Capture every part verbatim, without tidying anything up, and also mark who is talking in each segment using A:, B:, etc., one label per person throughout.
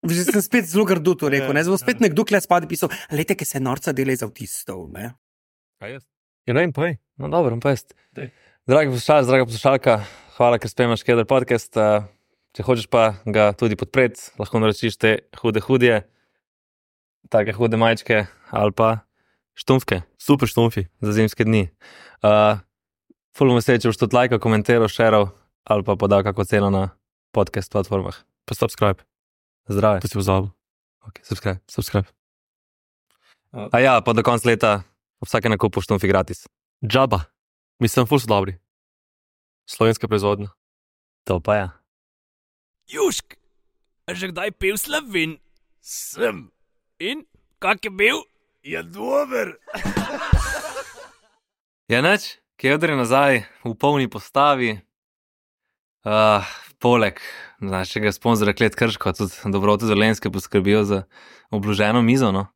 A: Že sem spet zelo grdo to rekel, ne? Zdaj bo spet nekdo kle spadi pisal, lejte, ki se norca dela iz avtistov, ne?
B: Kaj jaz? Ja, ne vem, poj. No, dobro, pa jaz. Dragi poslušalci, draga poslušalka, hvala, ker spremljaš Keder podcast. Če hočeš pa ga tudi podpreti, lahko naročiš te hude hudje, take hude majčke ali pa štumfke, super štumfi za zimske dni. Uh, ful bom vesel, če boš tudi lajkal, komentiral, šeral ali pa podal kako ceno na podcast platformah.
C: Pa subscribe.
B: Zdrave.
C: To si pozabil.
B: Ok, subscribe.
C: Subscribe.
B: A ja, pa do konca leta vsake nakupu štumfi gratis.
C: Džaba. Mislim, ful so dobri. Slovenska proizvodnja.
B: To pa ja.
D: Južk, a že kdaj pil Slovin? Sem. In, kak je bil? Je dober.
B: Ja, neč, Keder je nazaj v polni postavi. Uh, poleg našega sponzora Klet Krško, tudi Dobrote Dolenjske poskrbijo za obloženo mizo, no.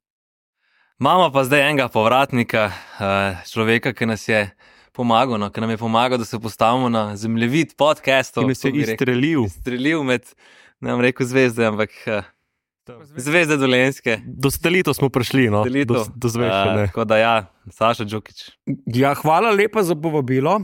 B: Imamo pa zdaj enega povratnika, uh, človeka, ki nas je pomagal, no, ki nam je pomagal, da se postavimo na zemljevid podcastov.
C: Ki nas je izstrelil.
B: Izstrelil med, ne bom rekel zvezde, ampak uh, zvezde Dolenjske.
C: Do stelito smo prišli, no.
B: Stelito.
C: Do, do zvezde,
B: Uh,
C: ne.
B: tako da ja, Saša Džukić.
A: Ja, hvala lepa za povabilo.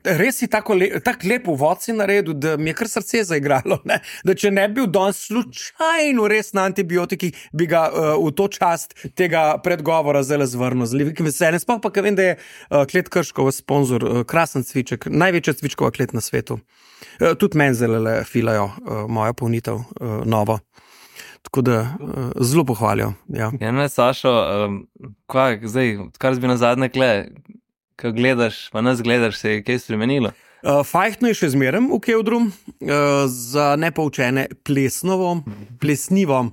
A: Res si tako le, tak lep uvod si naredil, da mi je kar srce zaigralo, ne? Da če ne bi bil danes slučajno res na antibiotikih, bi ga uh, v to čast tega predgovora zelo zvrnil. Z velikim veseljem. Sploh pa, ker vem, da je uh, Klet Krškov sponzor, uh, krasen cviček, največja cvičkova klet na svetu. Uh, tudi meni zelo filajo uh, moja polnitev, uh, novo. Tako da uh, zelo pohvalijo. Ja.
B: Ja, ne, Sašo, um, kaj, zdaj, kar zbi na zadnje kle, ko gledaš, pa nas gledaš, se je kaj spremenilo?
A: Uh, fajhtno je še zmerem v Kevdru, uh, za nepoučene plesnovo, plesnivo.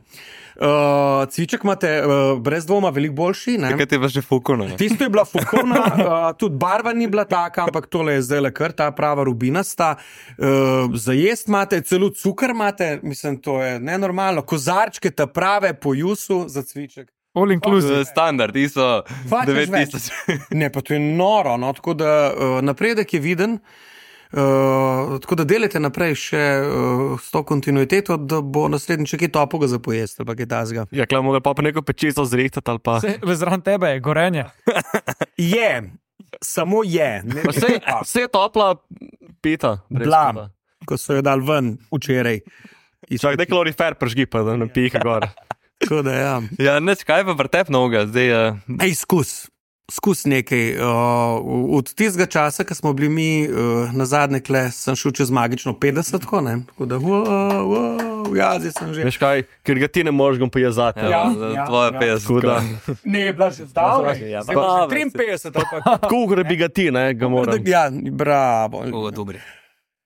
A: Uh, cviček imate uh, brez dvoma veliko boljši. Ne?
B: Kaj ti je pa že fukovno?
A: Tisto je bila fukovna, uh, tudi barva ni bila taka, ampak tole je zdaj le kar ta prava rubinasta. Uh, za jest imate, celo cukor imate, mislim, to je nenormalno. Kozarčke ta prave po jusu za cviček.
C: All inclusive.
B: Standard, ti so
A: Fakt
B: devet
A: več.
B: tisoč.
A: Ne, pa to je noro, no? Tako da uh, napredek je viden. Uh, tako da delajte naprej še uh, s to kontinuiteto, da bo naslednjič kaj topoga za pojesti ali pa kaj tazga.
C: Ja, kle, mogli pa pa neko pečico zrihtati ali pa...
E: Vse, zraven tebe je gorenje.
A: Je, samo je. Ne,
C: Vse, vse je topla pita. brez
A: Bila,
C: kuda.
A: ko so jo dal ven včeraj.
C: Čak, da kalorifer pržgi pa, da ne piha gor.
A: Tako da ja.
B: Ja, neč, kaj pa pretep noga, zdaj je... Uh,
A: Ej, skus. Skus nekaj. Uh, od tistega časa, ko smo bili mi uh, na zadnje kle, sem šel čez magično petdeset, tako ne? Tako da, wow, wow, ja, zdaj sem že.
C: Veš kaj, ker ga ti ne moreš gom pojazati.
B: ja,
A: Ja,
B: za
A: ja,
B: tvoje
A: ja.
B: petdeset.
C: Tako da,
A: Ne, je bila že zdavne.
B: Ja,
A: Zdaj pa
B: bravo,
A: že triinpetdeset ali pa.
C: koliko bi ga ti, ne, ga moram.
A: Ja, bravo.
B: O, dobri.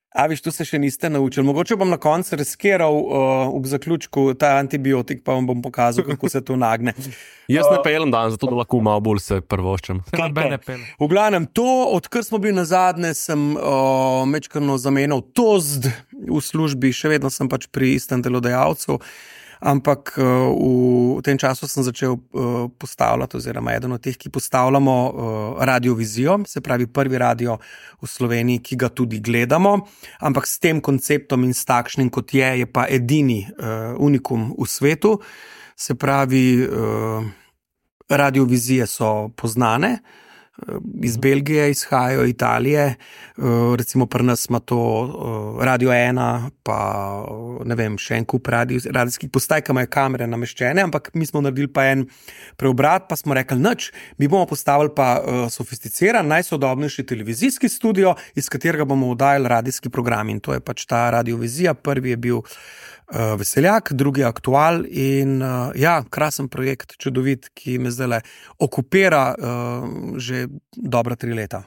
A: A viš, tu se še niste naučili. Mogoče bom na koncu riskiral uh, v zaključku ta antibiotik, pa vam bom pokazal, kako se to nagne.
C: Jaz ne pelem dan, zato da lahko malo bolj se prvoščem.
E: Kaj bene pele.
A: V glavnem, to, odkar smo bili na zadnje, sem uh, mečkano zamenjal tozd v službi, še vedno sem pač pri istem delodajalcu, ampak uh, v tem času sem začel uh, postavljati, oziroma eden od teh, ki postavljamo uh, radiovizijo, se pravi prvi radio v Sloveniji, ki ga tudi gledamo, ampak s tem konceptom in s takšnim, kot je, je pa edini uh, unikum v svetu, se pravi, uh, radiovizije so poznane, iz Belgije izhajajo, Italije, recimo pri nas ima to Radio ena, pa ne vem, še en kup radio, radijskih postaj, ki imajo kamere nameščene, ampak mi smo naredili pa en preobrat, pa smo rekli, nič, mi bomo postavili pa sofisticiran, najsodobnejši televizijski studio, iz katerega bomo oddajali radijski program, in to je pač ta radiovizija. Prvi je bil Uh, Veseljak, drugi Aktual in uh, ja, krasen projekt, čudovit, ki me zdaj okupira uh, že dobra tri leta.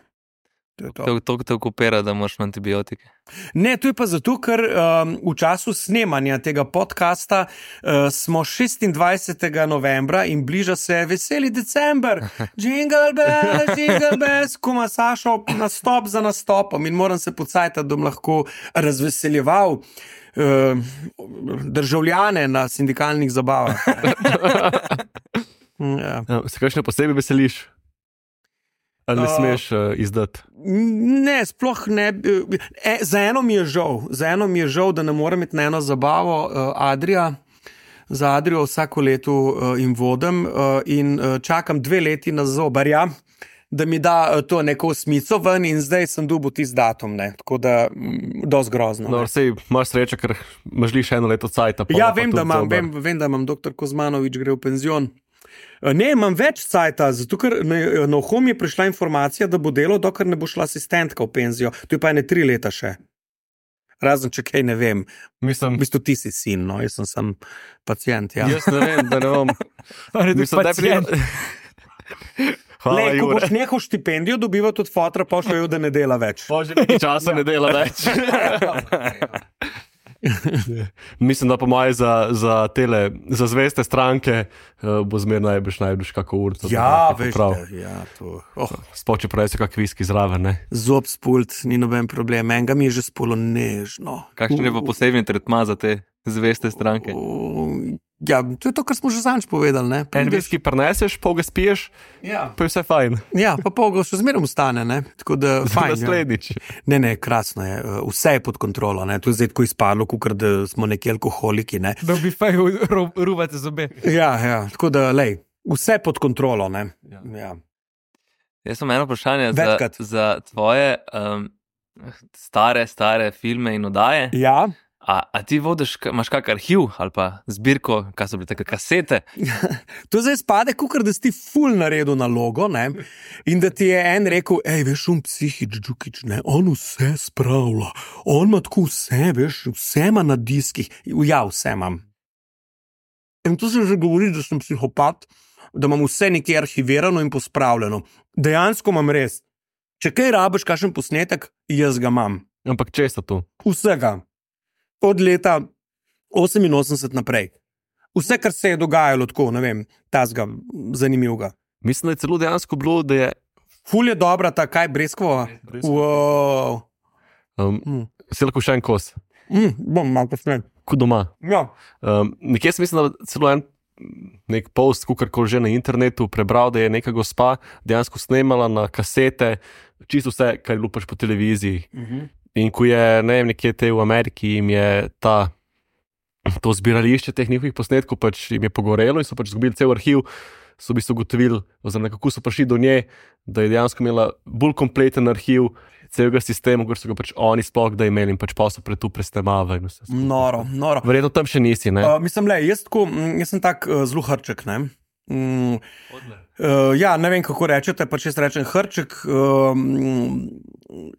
A: To je to.
B: To, to te okupira, da moraš na antibiotike.
A: Ne, to je pa zato, ker um, v času snemanja tega podcasta uh, smo šestindvajsetega novembra in bliža se veseli december. Jingle bells, jingle bells, kuma Sašo nastop za nastopom in moram se pocajtati, da bom lahko razveseljeval uh, državljane na sindikalnih zabavah. Ja.
C: Ja, se kakšne posebej veseliš? Ali ne
A: Uh,
C: smeš uh, izdati?
A: Ne, sploh ne. E, za eno mi je žal, za eno mi je žal, da ne morem iti na eno zabavo uh, Adria. za Adrio vsako leto uh, in vodim uh, in uh, čakam dve leti na zobarja, da mi da uh, to neko smico ven in zdaj sem dobil tisti datum, ne? Tako da mm, dosti grozno.
C: No, sej imaš srečo, ker imaš li še eno leto cajta.
A: Ja, vem da, imam, vem, vem, da imam doktor Kozmanovič gre v penzion. Ne, imam več cajta, zato ker na, na uhom je prišla informacija, da bo delo, dokler ne bo šla asistentka v penzijo. To je pa ene tri leta še. Razen, če kaj ne vem.
C: Mislim,
A: v bistvu ti si sin, no, jaz sem sam pacient, ja.
C: Jaz ne vem, da ne bom.
E: Mislim, pacient.
C: Hvala,
A: Lej, ko
C: Jure.
A: boš nehal štipendijo dobivati od fotra, pa še jo, da ne dela več.
C: Bože, nekaj časa ne dela več. Mislim, da po moje za, za tele, za zveste stranke uh, bo zmer najbrž najbrž kako urco.
A: Ja, veš, da, ja, to. Oh.
C: Spoče pravi se kak viski zraven, ne?
A: Zob spult, ni noben problem, enega mi je že spolo nežno.
B: Kakšen je pa posebni tretma za te zveste stranke?
A: Uh, ja, to je to, kar smo že zanč povedali, ne?
C: En viski prineseš, pol ga spiješ,
A: ja.
C: Pa je vse fajn.
A: Ja, pa pol ga še zmerom ostane, ne? Tako da, fajn.
C: Naslednjič.
A: Ja. Ne, ne, krasno je, vse je pod kontrolo, ne? To je zdaj tako izpadlo, kukor da smo neki alkoholiki, ne?
E: Da bi feju ruvate zobe.
A: Ja, ja, tako da, lej, vse pod kontrolo, ne? Ja. Ja.
B: Jaz sem eno vprašanje za,
A: Večkrat.
B: za tvoje um, stare, stare filme in oddaje.
A: Ja.
B: A, a ti vodiš, ka- imaš kak arhiv ali pa zbirko, kaj so bile take kasete?
A: To zdaj spade, kukor da si ti ful naredil nalogo, ne? In da ti je en rekel, ej, veš, on psihič, džukič, ne, on vse spravlja, on ima tako vse, veš, vse ima na diskih. Ja, vse imam. In tu se že govori, da sem psihopat, da imam vse nekje arhivirano in pospravljeno. Dejansko imam res. Če kaj rabiš, kakšen posnetek, jaz ga imam.
C: Ampak če sta tu?
A: Vsega. Od leta oseminosemdeset naprej. Vse, kar se je dogajalo tako, ne vem, tazga, zanimivega.
C: Mislim, da je celo dejansko bilo, da je
A: Ful je dobra ta, kaj, breskvova? Wow.
C: um,
A: Mm.
C: si lahko še en kos,
A: Mm, bom malo posnet.
C: kot doma.
A: Ja.
C: Um, nekje sem mislim, da celo en nek post, kakorkoli že na internetu prebral, da je neka gospa dejansko snemala na kasete čisto vse, kar je lupaš po televiziji.
A: Mhm.
C: In ko je, ne vem, nekje te v Ameriki jim je ta, to zbirališče teh njihovih posnetkov pač jim je pogorelo in so pač izgubili cel arhiv, so v bistvu ugotovili, oziroma kako so prišli do nje, da je dejansko imela bolj kompleten arhiv celega sistema, kot so ga pač oni sploh da imeli in pač pa so pred tu presnemavali. in vse skupaj.
A: Noro, noro.
C: Verjetno tam še nisi, ne?
A: Uh, mislim, le, jaz, tako, mm, jaz sem tak uh, zelo hrček, ne? Mm, uh, ja, ne vem, kako rečete, pač jaz rečem hrček, uh, mm,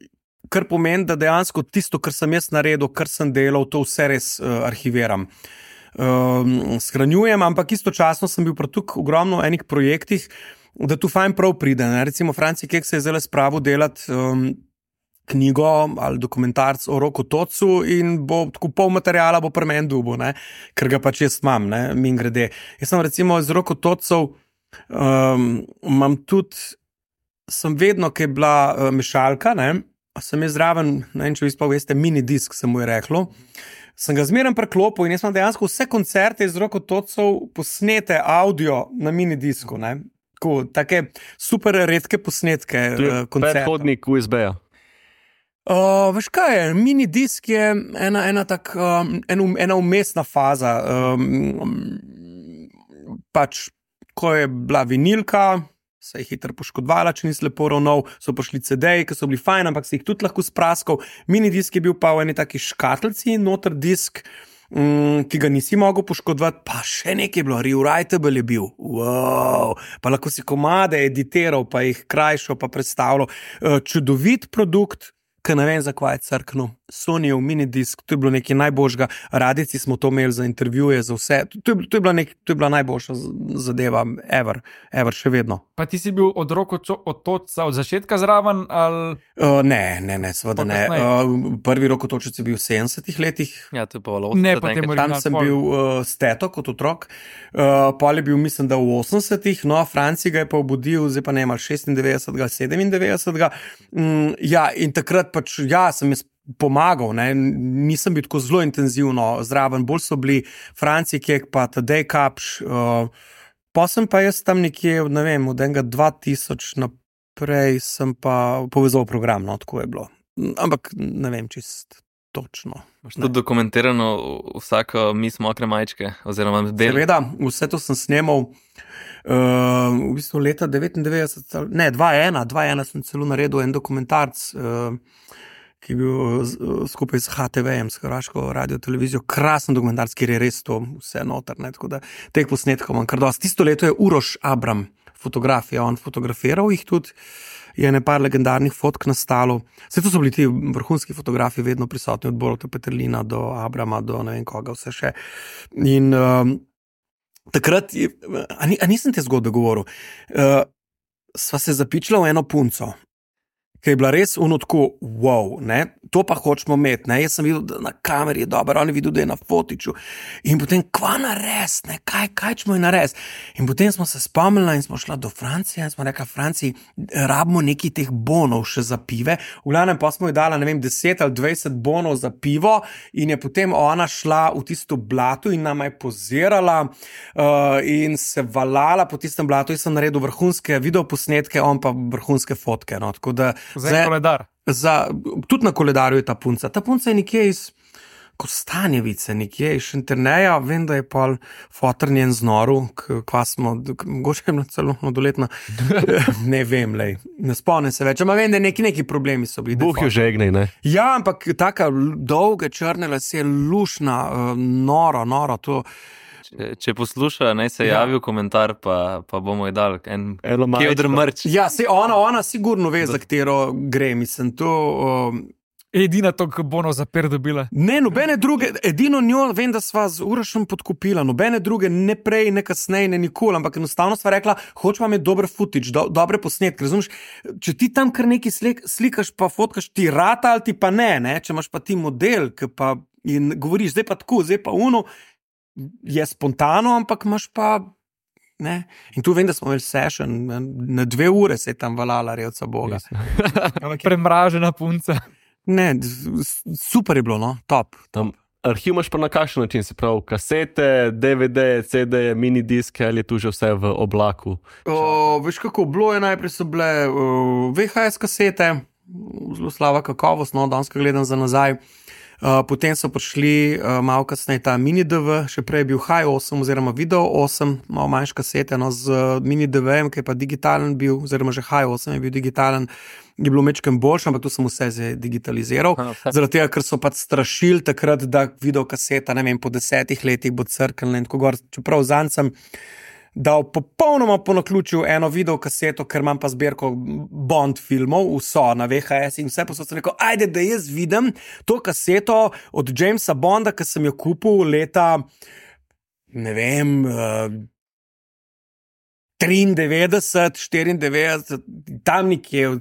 A: kar pomeni, da dejansko tisto, kar sem jaz naredil, kar sem delal, to vse res uh, arhiviram. Um, shranjujem, ampak istočasno sem bil pri tukaj ogromno enih projektih, da tu fajn prav pride. Ne? Recimo Franci Kek se je zdaj spravil delati um, knjigo ali dokumentarc o Roku Tocu in bo tako pol materijala bo pri meni dubo, ne? Ker ga pač jaz imam, ne? Min grede. Jaz sem recimo iz Roku Tocov um, imam tudi, sem vedno, ki je bila uh, mešalka, ne? Sem jaz zraven, ne vem, če vi sploh veste, mini disk se mu je reklo. Sem ga zmeraj preklopil in jaz imam dejansko vse koncerte iz Roku Tocov posnete audio na mini disku, ne? Tako, take super redke posnetke uh, koncertov.
C: Predhodnik U S B-ja.
A: Uh, veš kaj je, mini disk je ena, ena, tak, um, en, ena umestna faza. Um, pač, ko je bila vinilka, se je hitro poškodovala, če nisi lepo ravnal, so prišli C D-ji, ki so bili fajn, ampak si jih tudi lahko spraskal. Mini disk je bil pa v eni taki škatlici, noter disk, um, ki ga nisi mogel poškodovati, pa še nekaj je bilo, rewritable je bil. Wow. Pa lahko si komade editiral, pa jih krajšal, pa predstavljal. Uh, čudovit produkt, ki ne vem, zakaj je crknil. Sonyjev minidisk, to je bilo nekaj najboljšega. Radici smo to imeli za intervjuje, za vse. To je, to je, bila, nek, to je bila najboljša zadeva, ever, ever, še vedno.
E: Pa ti si bil od Roku od Toca od začetka zraven? Ali...
A: Uh, ne, ne, ne, seveda ne. Uh, prvi Rokotočec je bil v sedemdesetih letih.
B: Ja, to je pa
E: Ne, pa temu
A: Tam sem bil uh, steto kot otrok. Uh, pol je bil, mislim, da v osemdesetih, no, Franci ga je pa obudil, zdaj pa ne ima šestindevetdesetega, sedemindevetdesetega. Um, ja, in takrat pač, ja, sem jaz pomagal, ne? Nisem bil tako zelo intenzivno zraven, bolj so bili Franci Kek pa Tadej Kapš. Uh, pa sem pa jaz tam nekje, ne vem, od enega dva tisoč naprej sem pa povezal program, no, tako je bilo. Ampak ne vem čist. točno.
B: Tudi dokumentirano vsako mis mokre majčke, oziroma del.
A: Seveda, vse to sem snemal uh, v bistvu leta devetindevetdeset, ne, dva ena, dva ena sem celo naredil en dokumentarc, uh, ki je bil uh, skupaj s H T V-jem, s Hrvaško radio televizijo, krasen dokumentarc, kjer je res to vse noter, ne, tako da teh posnetkov imam kar dosti. Tisto leto je Uroš Abram fotografija, on fotografiral jih tudi, je nepar legendarnih fotk nastalo. Vse to so bili ti vrhunski fotografi vedno prisotni, od Boruta Peterlina do Abrama, do ne vem koga, vse še. In um, takrat, je, a, ni, a nisem te zgodbe govoril, uh, sva se zapičila v eno punco, ki je bila res ono tako, wow, ne, to pa hočemo imeti, ne, jaz sem videl, da na kameri je dobro, on je videl, da je na fotiču in potem, kva nares, ne, kaj, kaj čemo je nares. In potem smo se spomnili in smo šla do Francije in smo rekla, Franciji, rabimo nekaj teh bonov še za pive, v glavnem pa smo ji dala, ne vem, deset ali dvajset bonov za pivo in je potem ona šla v tisto blato in nama je pozirala uh, in se valala po tistem blatu, jaz sem naredil vrhunske videoposnetke, on pa vrhunske fotke, no, tako da
E: Za en koledar.
A: Za, tudi na koledarju je ta punca. Ta punca je nekje iz Kostanjevice, nekje iz Šenterneja, vem, da je pol fotrnjen z noru, kva smo, mogoče je bila celo mladoletna, ne vem, lej, ne spomnim se več, ampak vem, da neki, neki problemi so bili.
C: Buh jo žegnej, ne?
A: Ja, ampak taka dolge črne lase, lušna, noro, noro, to...
B: Če, če posluša, naj se javi v komentar, pa, pa bomo ji dali en kevdr mrč.
A: Ja, se ona, ona sigurno ve, za katero gre, mislim, to... Um,
E: Edina to, ki bo za per dobila.
A: Ne, nobene druge, edino njo, vem, da sva z Urošem podkupila, nobene druge, ne prej, ne kasneje, ne nikoli, ampak enostavno sva rekla, hočemo imeti dober footage, do, dobre posnetke, razumeš? Če ti tam kar nekaj slik, slikaš pa fotkaš, ti rata ali ti pa ne, ne, če imaš pa ti model, ki pa in govoriš, zdaj pa tako, zdaj pa uno, je spontano, ampak imaš pa, ne, in tu vem, da smo imeli session, na dve ure se je tam valala revca Boga.
E: Premražena punca.
A: Ne, super je bilo, no, top.
C: Tam arhiv imaš pa na kakšen način, se pravi kasete, D V D, C D, mini diske, ali je tu že vse v oblaku?
A: O, veš kako, bilo je najprej so bile uh, V H S kasete, zelo slaba kakovost, no, danes, ko gledam za nazaj. Uh, potem so prišli uh, malo kasneje ta mini D V, še prej je bil H osem oziroma Video osem, malo manjš kasete, no, z uh, mini D V-jem, ki je pa digitalen bil, oziroma že H osem je bil digitalen, je bilo mečkem boljše, ampak to sem vse zdaj digitaliziral. Zaradi tega, ker so pa strašili takrat, da video kaseta, ne vem, po desetih letih bo crknila in tako gor, čeprav zanj sem dal popolnoma po naključju eno video kaseto, ker imam pa zbirko Bond filmov, vso na V H S in vse posod sem rekel, ajde, da jaz vidim to kaseto od Jamesa Bonda, ki sem jo kupil leta, ne vem, triindevetdeset, štiriindevetdeset, tam nekje,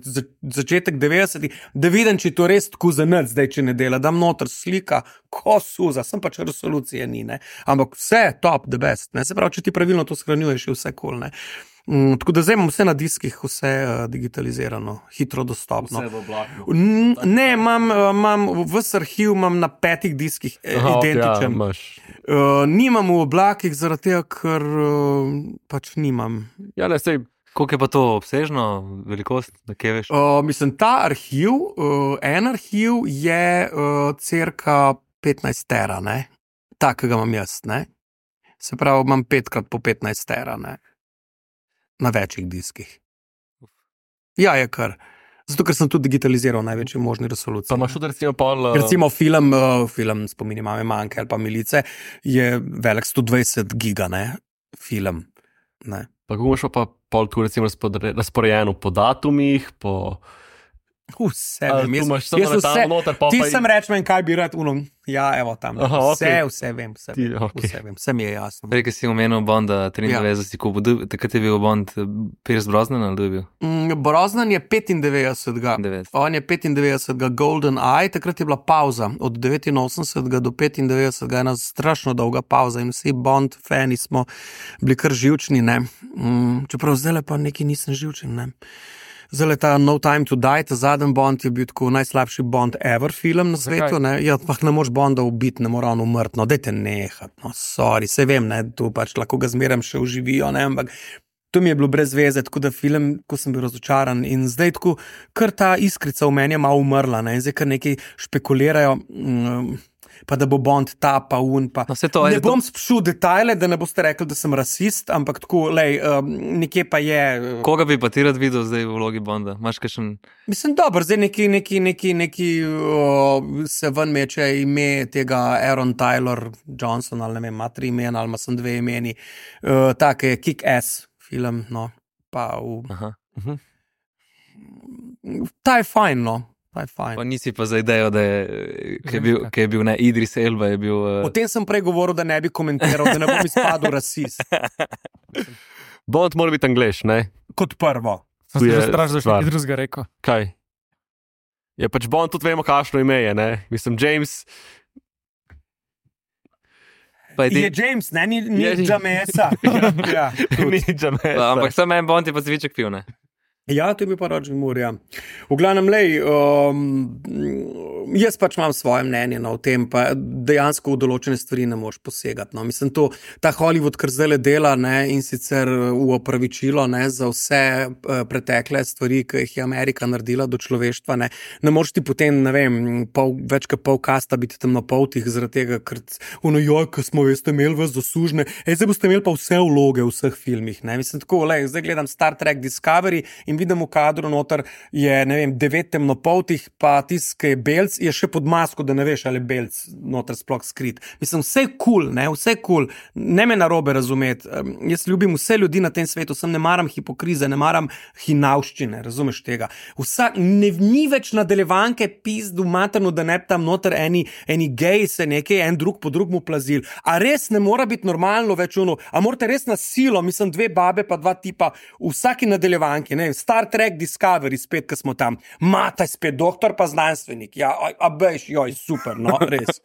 A: začetek devetdesetih, da vidim, če to res tako za nič, zdaj, če ne dela, dam noter slika, ko suza, sem pač resolucije ni, ne, ampak vse top, the best, ne, se pravi, če ti pravilno to shranjuješ, je vse cool, ne. Mm, tako da zdaj imam vse na diskih, vse uh, digitalizirano, hitro dostopno.
C: Vse v oblaku.
A: N- ne, imam, uh, imam vse arhiv, imam na petih diskih eh,
C: Aha,
A: identičen.
C: ja,
A: uh, nimam v oblakih, zaradi tega, ker uh, pač nimam.
C: ja, ne, sej,
B: Koliko je pa to obsežno, velikost, da kje veš?
A: Uh, mislim, ta arhiv, uh, en arhiv je uh, cirka petnajst tera, ne, takega imam jaz, ne. Se pravi, imam petkrat po petnajst tera, ne. Na večjih diskih. Ja, je kar. Zato, ker sem tudi digitaliziral največji možni resoluciji.
C: pa imaš tudi recimo pol... uh,
A: Recimo film, uh, film Spomini mame manjke ali pa Milice je velik sto dvajset giga, ne, film, ne.
C: Pa kako imaš pa pol tu recimo razpore- razporejeno po datumih, po...
A: Vse
C: Ali
A: vem,
C: tu
A: jaz,
C: imaš samo
A: jaz
C: letalo
A: vse,
C: noter, pol
A: ti
C: pa...
A: sem rečem, kaj bi rad, uno, ja, evo tam,
C: Aha,
A: vse,
C: okej.
A: vse vem, vse,
C: Ti,
A: vem,
C: okej.
A: vse vem, vse mi je jasno.
B: Prej, ki si omenil Bonda triindevetdeset, si kupil, takrat je bil Bond Pierce Brosnan ali kdo je bil?
A: Mm, Brosnan je petindevetdesetega,
B: devetdeset.
A: on je petindevetdesetega Golden Eye, takrat je bila pauza, od devetinosemdesetega do petindevetdesetega, ena strašno dolga pauza in vsi Bond fani smo bili kar živčni, ne. Mm, čeprav zdaj pa neki nisem živčen, ne. Zdaj ta No Time to Die, ta zadnji Bond je bil tako najslabši Bond ever film na svetu, ne, ja, pa ne moraš Bonda ubiti, ne mora on umrt, no, dajte nehat, no, sorry, se vem, ne, tu pač lahko ga zmeraj še uživijo, ne, ampak To mi je bilo brez veze, tako da film, ko sem bil razočaran in zdaj tako, kar ta iskrica v meni je malo umrla, ne, in zdaj kar nekaj špekulirajo, um, pa da bo Bond ta, pa un, pa.
B: No, to,
A: ne bom
B: to...
A: spšul detajle, da ne boste rekli, da sem rasist, ampak tako, lej, um, nekje pa je. Uh,
B: Koga bi pa ti rad videl zdaj v vlogi Bonda? Maš kakšen...
A: Mislim, dobro, zdaj neki, neki, neki, neki uh, se ven meče ime tega Aaron Taylor Johnson, ali ne vem, ima tri imena, ali ima sem dve imeni, uh, tak je Kick-Ass film, no, pa v...
B: Aha. Uh-huh.
A: Ta je fajn, no, ta je fajn.
B: Pa nisi pa za idejo, da je, ki je bil, ki je bil ne, Idris Elba je bil... Uh...
A: O tem sem prej govoril, da ne bi komentiral, da ne bom izpadel rasist.
C: Bond mora biti Anglež, ne?
A: Kot prvo.
E: Sem se že strašil, da še nekaj drugega rekel.
C: Kaj? Je pač Bond, tudi vemo, kakšno ime je, ne? Mislim, James...
A: Je James, ne, ni, ni Jamesa. Ja,
C: ni Jamesa.
B: Ampak sem en Bond je pa zviček pil, ne?
A: Ja, to je bil pa Roger Moore, ja. V glavnem, lej, um, jaz pač imam svoje mnenje no, o tem, pa dejansko v določene stvari ne moreš posegati. No. Mislim, to, ta Hollywood, kar zdaj dela ne, in sicer v opravičilo ne, za vse uh, pretekle stvari, ki jih je Amerika naredila do človeštva, ne, ne moreš ti potem, ne vem, pol, več kot pol kasta biti temnopoltih zaradi tega, ker ono, joj, ko smo veste imeli vas zaslužne, ej, zdaj boste imeli pa vse vloge v vseh filmih. Ne. Mislim, tako, lej, zdaj gledam Star Trek Discovery in vidim v kadru noter je, ne vem, devet temnopoltih, pa tisk, ki je belc, je še pod masko, da ne veš, ali je belc noter sploh skrit. Mislim, vse je kul, cool, ne, vse je kul, cool. Ne me narobe razumeti. Um, jaz ljubim vse ljudi na tem svetu, sem ne maram hipokrize, ne maram hinavščine, razumeš tega. Vsak, ne, ni več nadaljevanke pizdu materno, da ne bi tam noter eni, eni geji se nekaj, en drug po drugmu plazil. A res ne mora biti normalno več ono, a morate res na silo, mislim, dve babe pa dva tipa, v vsaki nadaljevanki, ne vem, Star Trek Discovery, spet, ko smo tam. Mata je spet doktor, pa znanstvenik. Ja, a, a bejš, joj, super, no, res.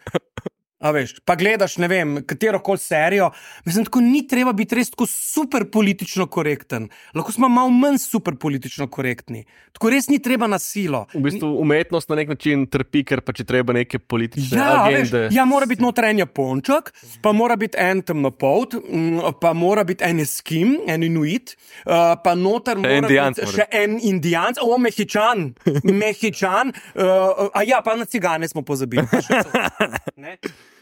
A: A veš, pa gledaš, ne vem, katero koli serijo. Mislim, tako ni treba biti res tako super politično korekten. Lahko smo malo manj super politično korektni. Tako res ni treba na silo.
C: V bistvu umetnost na nek način trpi, ker pa če treba neke politične
A: ja,
C: agende.
A: Veš, ja, mora biti noter en Japončak, pa mora biti en temnopolt, pa mora biti en Eskim, en Inuit, pa noter mora
B: Indijanc,
A: biti še en Indijanc, o, Mehičan, Mehičan, uh, a ja, pa na cigane smo pozabili. Ne?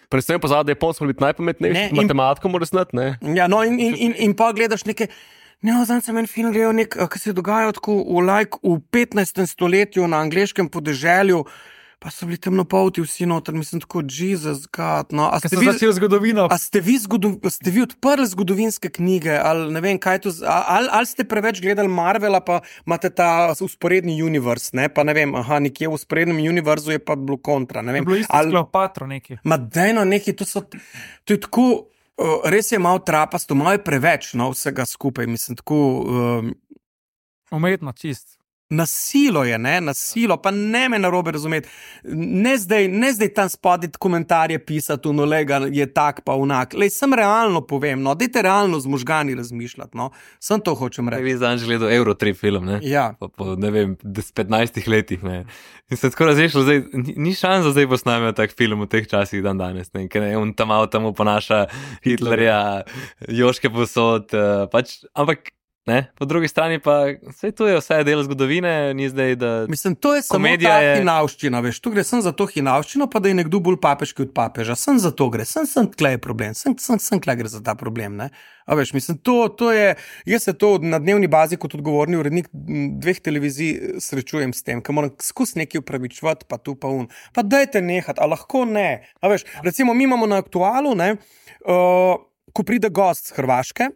C: Predvsem pozadje, da je Japonsko biti najpametnejši, matematiko mora znati, ne?
A: Ja, no in, in, in, in pa gledaš neke, ne, zdaj sem en film gledal nek, ki se je dogajal tako v, like, v petnajstem stoletju na angleškem podeželju, pa so bili temnopolti vsi noter, mislim tako, Jesus God, no. A ste, vi,
E: zgodovino.
A: A ste, vi zgodo, ste vi odprli zgodovinske knjige, ali ne vem, kaj to, ali, ali ste preveč gledali Marvela, pa imate ta usporedni univerz, ne, pa ne vem, aha, nekje v usporednem univerzu je pa bilo kontra, ne vem.
E: Je bilo isto ali, Kleopatro neki.
A: Ma dejno neki, to so, to je tako, uh, res je malo trapasto, malo je preveč, no, vsega skupaj, mislim, tako... Um,
E: Umetno, čist.
A: Nasilo je, ne, nasilo, pa ne me narobe razumeti. Ne zdaj, ne zdaj tam spodaj komentarje pisati, no, lega je tak pa unak. Lej, sem realno povem, no, dajte realno z možgani razmišljati, no. Sem to hočem reči.
B: Vi zdaj gledal Eurotrip film, ne?
A: Ja.
B: Po, po, ne vem, petnajstih letih, ne. In se tako razrešil, zdaj, ni, ni šansa zdaj posnamijo tak film v teh časih dan danes, ne. Ker ne, on tam malo tam ponaša Hitlerja, Joške posod, uh, pač, ampak ne, po drugi strani pa vse to je vse del zgodovine, ni zdaj, da
A: mislim, to je samo ta je... hinavščina, veš, tu gre sem za to hinavščino, pa da je nekdo bolj papeški od papeža, sem za to gre, sem, sem tle je problem, sem, sem, sem tle gre za ta problem, ne. A veš, mislim, to, to je, jaz se to na dnevni bazi kot odgovorni urednik dveh televizij srečujem s tem, ker moram skus nekaj upravičevati, pa tu pa un, pa dajte nehati, a lahko ne, a veš, recimo mi imamo na Aktualu, ne, uh, ko pride gost z Hrvaške,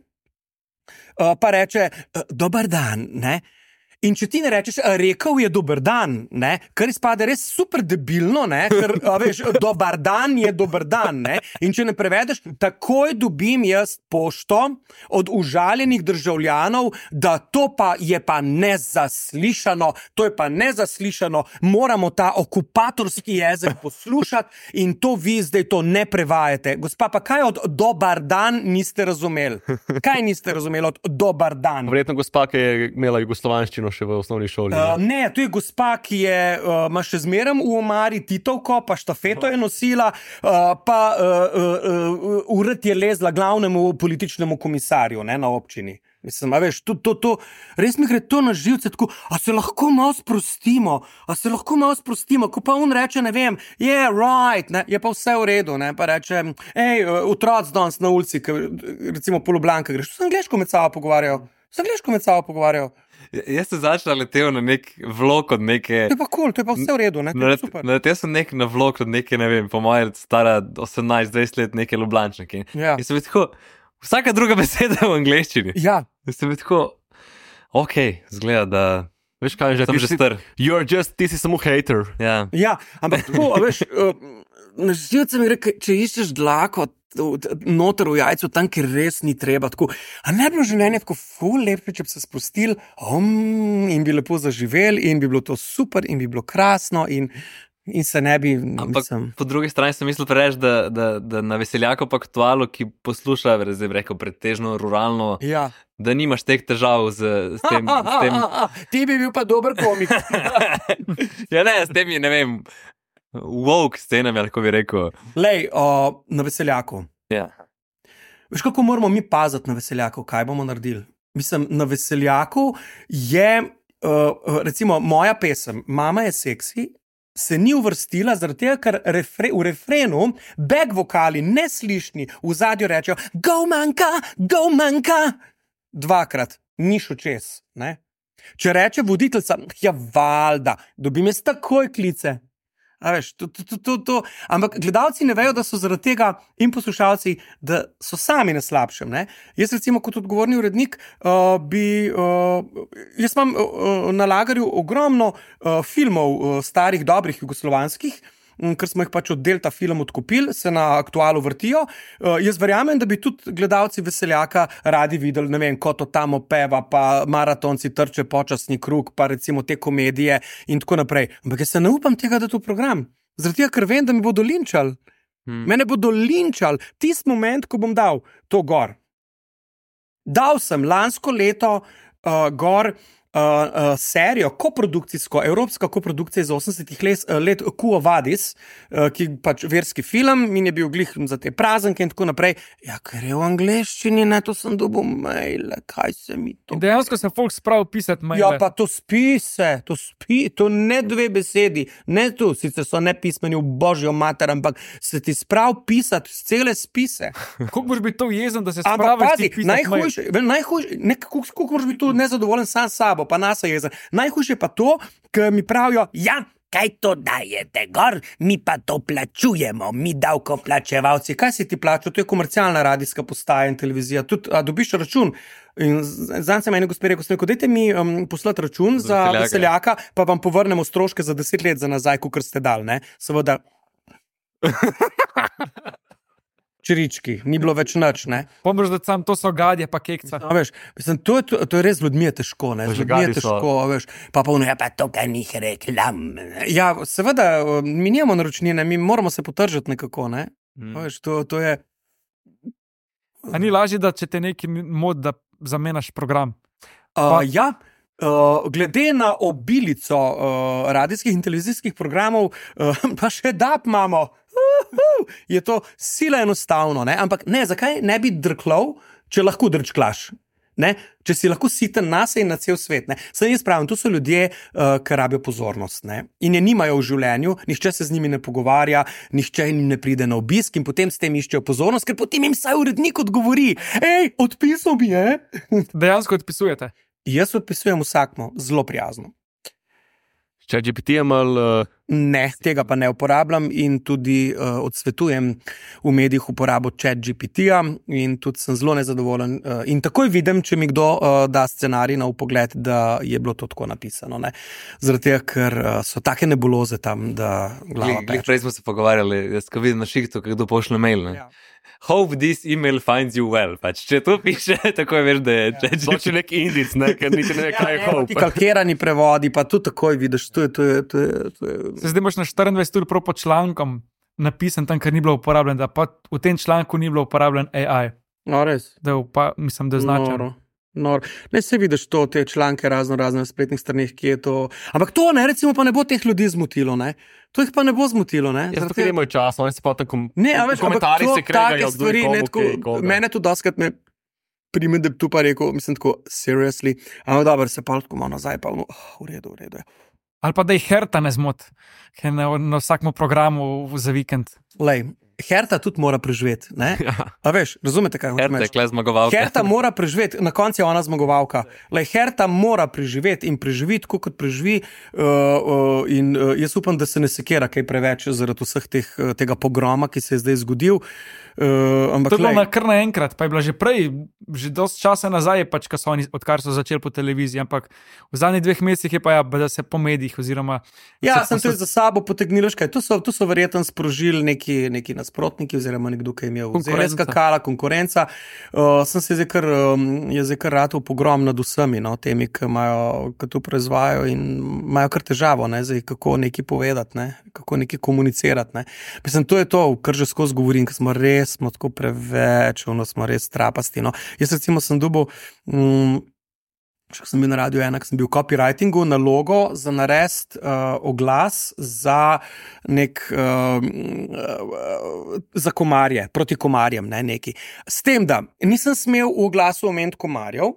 A: Uh, pa reče, uh, dober dan, ne? In če ti ne rečeš, rekel je dober dan, ne? Kar izpade res super debilno, ne? Ker, a veš, dober dan je dober dan, ne? In če ne prevedeš, takoj dobim jaz pošto od užaljenih državljanov, da to pa je pa nezaslišano, to je pa nezaslišano, moramo ta okupatorski jezik poslušati in to vi zdaj to ne prevajate. Gospa, pa kaj od dober dan niste razumeli? Kaj niste razumeli od dober dan?
C: Verjetno gospa, ki je imela jugoslovanščino še v osnovni šoli. Ne,
A: uh, ne to je gospa, ki je, uh, ima še zmeraj v omari Titovko, pa štafeto je nosila, uh, pa uh, uh, uh, ured je lezla glavnemu političnemu komisarju, ne, na občini. Mislim, a veš, to, to, to, res mi gre to na živce, tako, a se lahko malo sprostimo, a se lahko malo sprostimo, ko pa on reče, ne vem, yeah, right, ne, je pa vse v redu, ne, pa reče, hej, otroci danes na ulici, ke, recimo po Ljubljanki greš, se angleško med sabo pogovarjajo, se angleško med sabo pogovarjajo.
B: Jaz sem začel letel na nek vlog od neke...
A: To je pa kul, cool, to je pa vse v redu, ne, to je super.
B: Naletel sem nek na vlog od neke, ne vem, po moje stara osemnajst dvajset let neke Ljubljančanke.
A: Ja.
B: In sem bil tako... Vsaka druga beseda je v angleščini.
A: Ja.
B: Sem tako, ok, zgleda, da
C: Veš kaj, že
B: sem že star.
C: You're just, ti si samo hater.
B: Ja,
A: Ja, ampak tako, a veš, uh, na živce mi gre, če iščeš dlako noter v jajcu, tam, kjer res ni treba, tako, a ne bi bilo življenje tako ful lepo, če bi se spustili um, in bi lepo zaživeli in bi bilo to super in bi bilo krasno in In se ne bi,
B: ampak
A: mislim...
B: po drugi strani sem mislil preveč, da, da, da na Veseljaku pa aktualu, ki posluša, zdaj bi rekel, pretežno ruralno,
A: Ja.
B: da nimaš teh težav z, z tem. S tem...
A: Ti bi bil pa dober komik.
B: ja, ne, s temi, ne vem, woke scenami, ali kako bi rekel.
A: Lej, o, na Veseljaku.
B: Ja.
A: Veš, kako moramo mi paziti na Veseljaku, kaj bomo naredili? Mislim, na Veseljaku je, uh, recimo, moja pesem, Mama je seksi, se ni uvrstila, zaradi tega, ker refre, v refrenu back vokali neslišni v zadju rečejo go manjka, go manjka, dvakrat, ni šel čez. Ne? Če reče voditeljca, ja valjda, dobim jaz takoj klice. A veš, to, to, to, to, to. Ampak gledalci ne vejo, da so zaradi tega in poslušalci, da so sami na slabšem. Ne? Jaz recimo kot odgovorni urednik uh, bi, uh, jaz imam uh, na lagerju ogromno uh, filmov uh, starih, dobrih, jugoslovanskih, um, ker smo jih pač od Delta Film odkupili, se na aktualu vrtijo. Uh, jaz verjamem, da bi tudi gledalci Veseljaka radi videli, ne vem, Ko to tam opeva, pa maratonci trče počasni krug, pa recimo te komedije in tako naprej. Ampak jaz se ne upam tega dati v program. Zaradi tega, ker vem, da mi bodo linčali. Hmm. Mene bodo linčali. Tisti moment, ko bom dal to gor. Dal sem lansko leto uh, gor Uh, uh, serijo, koprodukcijsko, evropska koprodukcija iz osemdesetih let, uh, let Quo Vadis, uh, ki pač verski film in je bil glih za te praznike in tako naprej. Ja, ker je v angleščini, ne, to sem dobil maile, kaj se mi to...
E: In dejansko se folk sprav pisati maile.
A: Ja, pa to spise, to spi, to ne dve besedi, ne tu, sicer so nepismeni v božjo mater, ampak se ti sprav pisati cele spise.
E: Kako boš biti to jezen, da se
A: Ampak
E: spraviš
A: pazi,
E: ti pisati mail?
A: najhujše, najhujše, ne, kako, kako moraš biti tu nezadovoljen sam s sabo, pa nas je jezen. Najhujše pa to, ker mi pravijo, ja, kaj to dajete gor, mi pa to plačujemo, mi davkoplačevalci. Kaj si ti plačal? To je komercialna radijska postaja in televizija. Tudi, a dobiš račun? In zanj se meni gospod rekel, rekel, dajte mi um, poslati račun za
B: Veseljaka.
A: Veseljaka, pa vam povrnemo stroške za deset let za nazaj, kot ste dali, ne? Seveda. Čirički, ni bilo več nič, ne?
E: Pomeš, da sam to so gadje pa kekca.
A: A veš, mislim, to, je, to, to je res z ljudmi je težko, ne? Z ljudmi je
C: Žgadi so.
A: težko, a veš. Pa pa ono, ja, pa to, kaj njih reklam. Ja, seveda, mi nimamo naročnine, mi moramo se potržati nekako, ne?
B: Mm.
A: A veš, to, to je...
E: A ni lažje, da če te neki mod, da zamenjaš program?
A: Uh, ja, uh, glede na obilico uh, radijskih in televizijskih programov, uh, pa še dap imamo. Uhu, je to sila enostavno, ne? Ampak ne, zakaj ne bi drklov, če lahko drčklaš? Ne? Če si lahko siten nase in na cel svet. Ne? Saj jaz pravim, to so ljudje, uh, ki rabijo pozornost, ne? In je nimajo v življenju, nihče se z njimi ne pogovarja, nihče jim ne pride na obisk in potem s tem iščejo pozornost, ker potem jim saj urednik odgovori, hej, odpisal bi, je?
E: Dejansko odpisujete.
A: Jaz odpisujem vsakmo, zelo prijazno.
C: Če G P T imal, uh,
A: Ne, tega pa ne uporabljam in tudi uh, odsvetujem v medijih uporabo chat G P T-ja in tudi sem zelo nezadovoljen. Uh, in takoj vidim, če mi kdo uh, da scenarij na upogled, da je bilo to tako napisano. Ne? Zaradi tega, ker uh, so take nebuloze tam, da glava
B: Glih,
A: peče.
B: prej smo se pogovarjali, jaz ko vidim na šihtu, kdo pošle mail. Ne?
A: Ja.
B: Hope this email finds you well. Pač, če to piše, tako veš, da je če,
C: to je nek indic, ne, ker niti ne ve, kaj je
A: Ti
C: hope.
A: kalkirani prevodi, pa tu takoj vidiš, to je, to je, to je, to je...
E: Se zdaj imaš na štiriindvajset ur prav pod člankom napisan tam, ker ni bilo uporabljen, da pa v tem članku ni bilo uporabljen A I.
A: No, res.
E: Da je upa, mislim, da je značen.
A: Noro. Nor. Ne se vidiš to, te članke razno razne na spletnih straneh, ki je to... Ampak to ne, recimo pa ne bo teh ljudi zmotilo, ne? To jih pa ne bo zmotilo, ne?
C: Jaz
A: Zaradi
C: tukaj
A: tega-
C: nimajo časa, oni se pa tam kom
A: Ne, a veš, ampak
C: komentarji
A: to,
C: se kregajo,
A: take
C: kdo je
A: stvari,
C: komu,
A: ne, tako,
C: kaj je koga.
A: mene to doskrat me Prime, da bi tu pa rekel, mislim tako, seriously, ampak dobro, se pa tako malo nazaj, pa no, oh, v redu, v redu.
E: Ali pa da jih Herta ne zmot, ker na, na vsakem programu za vikend.
A: Lej, Herta tudi mora preživeti, ne?
B: Ja.
A: A veš, razumete, kaj
B: Herta je kle zmagovalka.
A: Herta mora preživeti, na koncu je ona zmagovalka. Lej, Herta mora preživeti in preživeti, tako kot preživi. Uh, uh, in uh, jaz upam, da se ne sekira kaj preveč zaradi vseh teh, tega pogroma, ki se je zdaj zgodil. Uh, ampak,
E: to je bilo
A: lej,
E: na kar naenkrat, pa je bilo že prej, že dosti časa nazaj, pač, so oni, odkar so začeli po televiziji, ampak v zadnjih dveh mesecih je pa ja, da se po medijih oziroma...
A: Ja,
E: se
A: sem to za sabo potegnil, kaj. Tu so, tu so verjetno sprožili neki, neki nasprotniki oziroma nekdo, ki je imel zelo skakala konkurenca. Uh, sem se zdaj kar, um, je zdaj kar ratov pogrom nad vsemi, no, temi, ki imajo, ki to proizvajajo in imajo kar težavo, ne, zdaj, kako nekaj povedati, ne, kako nekaj komunicirati, ne. Mislim, to je to, kar že skozi govorim, ker smo res smo tako preveč, ono smo res trapasti. No. Jaz recimo sem dobil, um, še sem bil na radiju ena, sem bil v copywritingu na logo za narediti uh, oglas za nek, uh, uh, za komarje, proti komarjem, ne, neki. S tem, da nisem smel v oglasu omeniti komarjev,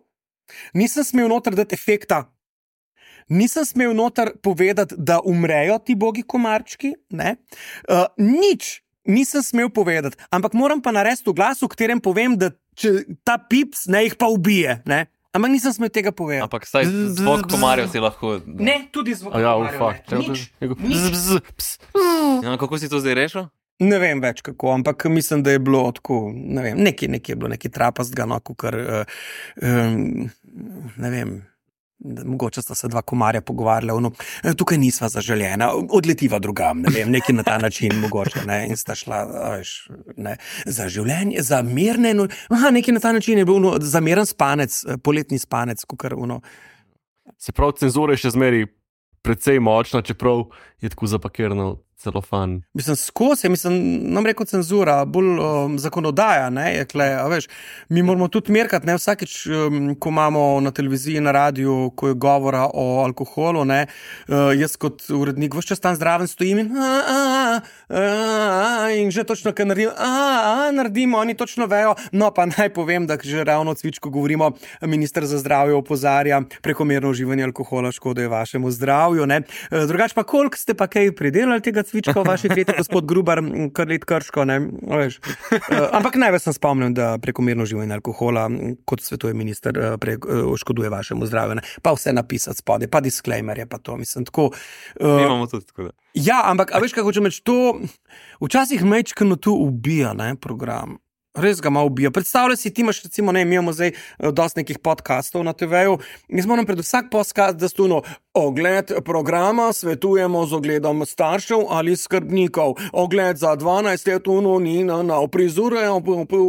A: nisem smel noter dati efekta, nisem smel noter povedati, da umrejo ti bogi komarčki, ne, uh, nič. Nisem smel povedati, ampak moram pa narediti v glasu, v katerem povem, da če ta pips ne jih pa ubije, ne? Ampak nisem smel tega povedati.
B: Ampak saj zvok komarjev si lahko...
A: Ne, tudi zvok
C: Ja,
A: komarjev,
C: ufak.
A: ne. Nič, nič.
B: Ja, kako si to zdaj rešil?
A: Ne vem več kako, ampak mislim, da je bilo tako, ne vem, nekaj, nekaj je bilo, nekaj trapastga, no, kar, uh, um, ne vem, mogoče sta se dva komarja pogovarjala, no, tukaj nisva zaželjena, odletiva drugam, ne vem, nekaj na ta način mogoče, ne, in sta šla, veš, ne, za življenje, za mirne, no, aha, nekaj na ta način je bil, no, za miren spanec, poletni spanec, kukar, no.
C: Se pravi, cenzura je še zmeri precej močna, čeprav je tako zapakirano celofan.
A: Mislim, skozi, mislim, nam rekel cenzura, bolj um, zakonodaja, ne, je kle, a veš, mi moramo tudi merkati, ne, vsakič, um, ko imamo na televiziji, na radiju, ko je govora o alkoholu, ne, uh, jaz kot urednik vse čas tam zraven stojim in a, a, a, a, in že točno, kaj naredim, a, a, naredimo, oni točno vejo, no, pa naj povem, da že ravno o cvičku govorimo, minister za zdravje opozarja, prekomerno uživanje alkohola škoduje vašemu zdravju, ne, uh, drugač pa koliko ste pa kaj pridelali tega cvička v vaši kleti, gospod Grubar, kar let krško, ne, veš. Uh, ampak največ sem spomnil, da prekomerno uživanje alkohola, kot svetuje minister, pre, uh, škoduje vašemu zdravju, ne. Pa vse napisati spode, pa disclaimerje, pa to, mislim, tako. Uh,
B: Imamo tudi tako, da.
A: Ja, ampak, a veš, kako hočem reči, to včasih mečkano tu ubija, ne, program. Res ga malo ubija. Predstavljaj si, ti imaš, recimo, ne, imamo zdaj dosti nekih podcastov na te veju, jaz moram pred vsak podcast, da stuno ogled programa svetujemo z ogledom staršev ali skrbnikov, ogled za dvanajst let uno ni na, na prizorejo,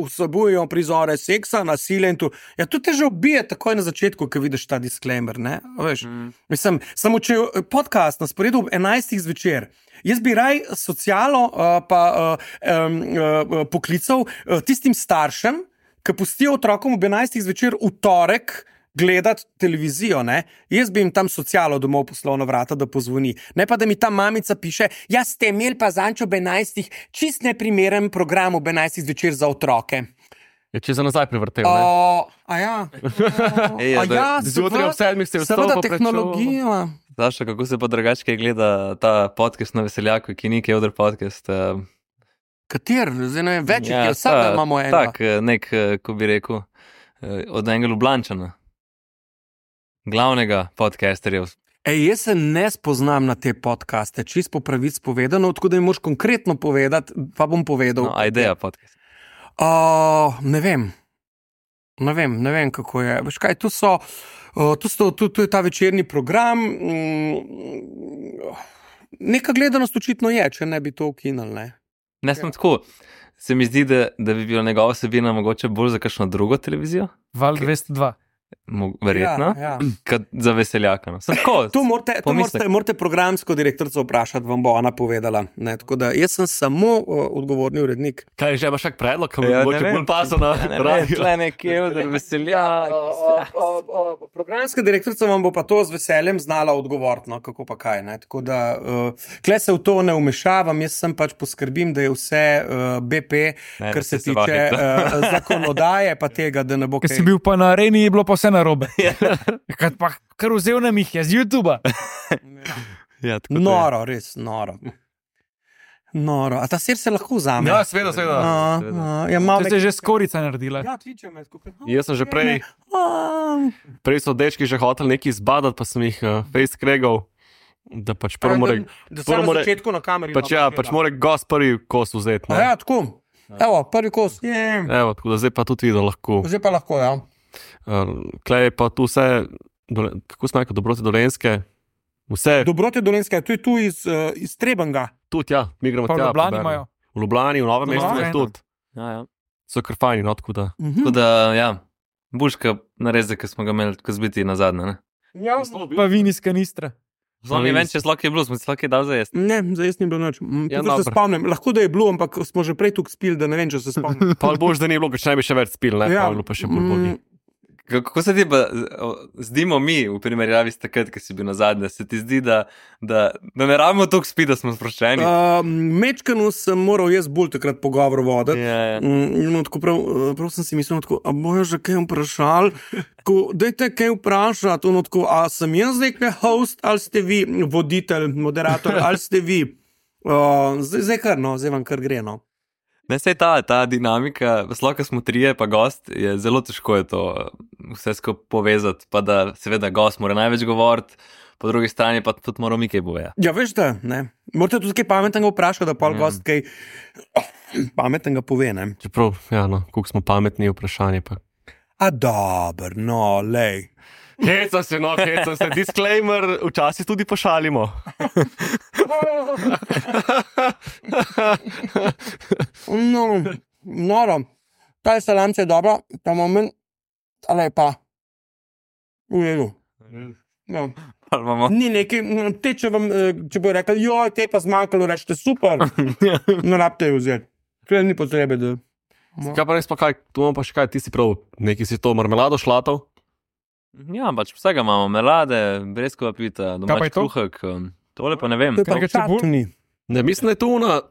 A: vsebujejo prizore seksa, nasilja in tu. Ja, tu te že ubije takoj na začetku, ko vidiš ta disclaimer, ne, veš. Mm. Mislim, samo če podcast na sporedu ob enajstih zvečer, jaz bi raj socialo uh, pa uh, um, uh, poklical uh, tistim staršem, ki pustijo otrokom ob enajstih zvečer v torek gledati televizijo, ne? Jaz bi jim tam socialo domov poslal na vrata, da pozvoni. Ne pa, da mi ta mamica piše, ja, ste imeli pa zanč ob enajstih čist neprimeren program ob enajstih zvečer za otroke.
C: Je če za nazaj prevrtel, ne?
A: O, a ja.
B: Ej,
A: A
B: da-
A: ja,
C: Zjutraj ob sedmih ste vstopili
A: seveda
C: pa prečo-
A: tehnologija.
B: Zašto, kako se pa drugače gleda ta podcast na Veseljaku, ki ni Kevdr podcast? Uh,
A: Kater? Zdaj ne vem, več ja, je, vsak
B: ta-
A: imamo enega.
B: Tak, eh, nek, eh, ko bi rekel, eh, od enega Ljubljančana. Glavnega podcasterja.
A: Ej, jaz se ne spoznam na te podcaste, čist po pravic povedano, tako da mi moraš konkretno povedati, pa bom povedal.
B: No, a ideja podcast.
A: Uh, ne vem. Ne vem, ne vem, kako je. Veš kaj, tu so, uh, tu, so tu, tu je ta večerni program. Mm, neka gledanost očitno je, če ne bi to ukinili, ne.
B: Ne sem tako. Se mi zdi, da, da bi bila njegova vsebina mogoče bolj za kakšno drugo televizijo.
E: Val dvesto dva.
B: verjetno,
A: Ja, ja.
B: kot za veseljaka. No. Sem tako,
A: To morate, to
B: pomislek.
A: morate, morate programsko direktorico vprašati, vam bo ona povedala. Ne? Tako da jaz sem samo uh, odgovorni urednik.
C: Kaj že imaš kak predlog, ki
B: Ja,
C: bo
B: ne
C: mogoče
B: vem.
C: bolj pasal na
B: Ja, ne vem,
C: radio?
B: tle nekje, da veseljak.
A: Programska direktorica vam bo pa to z veseljem znala odgovoriti, no, kako pa kaj. Ne? Tako da uh, kle se v to ne umešavam, jaz sem pač poskrbim, da je vse uh, B P,
B: Ne,
A: kar
B: da
A: se
B: ste se
A: tiče
B: vahali.
A: uh, zakonodaje, pa tega, da ne bo
E: Ker
A: kaj.
E: si bil pa na areni, je bilo pa vse narobe. Kad pa kar vzel nam jih je z YouTuba.
C: Ja, tako da je.
A: Noro, res noro. Noro. A ta sir se lahko vzame?
C: Ja, seveda, seveda.
A: A,
B: seveda.
A: a, ja, malo
E: To se je že skorica naredila.
A: Ja, kliče me skupaj.
C: Jaz sem že prej,
A: A,
C: prej so dečki že hoteli nekaj izbadati, pa sem jih uh, face kregal, da pač prvo more,
A: da
C: prvo
A: sem na
C: more-
A: začetku na kameri.
C: pač ja, pač more gost prvi kos vzeti.
A: A
C: No.
A: ja, tako. Evo, prvi kos. Je.
C: Evo, tako da zdaj pa tudi videl lahko.
A: Zdaj pa lahko, ja.
C: Uh, Klej pa tu vse, dole, kako smo rekli, dobrote dolenske, vse,
A: Dobrote Dolenske, to je tu iz, uh, iz Trebenga.
C: tudi ja, mi gremo
E: Pa v
C: tja.
E: Ljubljani
C: poberemo.
E: imajo.
C: V Ljubljani, v Novem
E: V
C: mestu
E: Novem
C: je
E: mestu.
C: tudi.
B: Ja, ja.
C: So kar fajni, no, tako da.
B: Tako da, ja, buška nareze, ki smo ga imeli, ko zbiti na zadnje. Ne,
A: Ja.
E: Pa vin iz kanistra.
B: Zelo mi vem, če slok je bil, smo si slok je dal za jesti.
A: Ne, zdaj jaz ni bilo noč.
C: Ja,
A: Ja, se
C: dobro.
A: spomnim. Lahko da je bilo, ampak smo že prej tukaj spili, da ne vem, če se spomnim.
C: Pa boš, da ni bilo, ker če ne bi še več spil, ne,
A: Ja,
C: pa bi bilo pa še bolj bodi.
A: mm,
B: Kako se ti pa o, zdimo mi v primerjavi s takrat, ki si bil na zadnje? Se ti zdi, da, da, da ne rabimo toliko spiti, da smo sproščeni?
A: Uh, Mečkanu sem moral jaz bolj takrat pogovor voditi.
B: Ja, ja.
A: Mm, no, tako prav, eh, prav sem si mislil, tako, a bojo že kaj vprašali? Tako, dajte kaj vprašati, ono tako, a sem jaz zdaj kaj host, ali ste vi voditelj, moderator, ali ste vi? Uh, zdaj, zdaj kar, no, zdaj vam kar gre, no.
B: Ne, sej ta, ta dinamika, sploh ko smo trije, pa gost, je zelo težko je to eh, vse skupaj povezati, pa da seveda gost mora največ govoriti, po drugi strani pa tudi moramo mi kaj povedati.
A: Ja, veš da, ne. Morate tudi kaj pametnega vprašati, da pol
B: Ja.
A: gost kaj pametnega pove, ne.
C: Čeprav, ja, no, koliko smo pametni, vprašanje pa.
A: A dober, no, lej.
C: Hecam se, no, hecam se, disclaimer, včasih tudi pošalimo.
A: No, noro. Ta salamca je dobra, ta moment, ale pa. V redu. Ja.
B: Ali imamo-
A: Ni neki, te, če, vam, eh, če bo rekel, joj, te pa zmanjkalo, rečete super. Ne rabite jo vzeti. Kaj ni potrebe, da.
C: Kaj pa res pa kaj, tu imamo pa še kaj, ti si prav, neki si to marmelado šlatov.
B: Ja, pač vsega imamo, melade, breskova pita,
E: Kaj pa
B: domač
E: je to?
B: kruhek, um, tole pa ne vem.
A: To je pa
E: Kaj čebul?
A: čatni.
C: Ne, mislim, da je tu ona,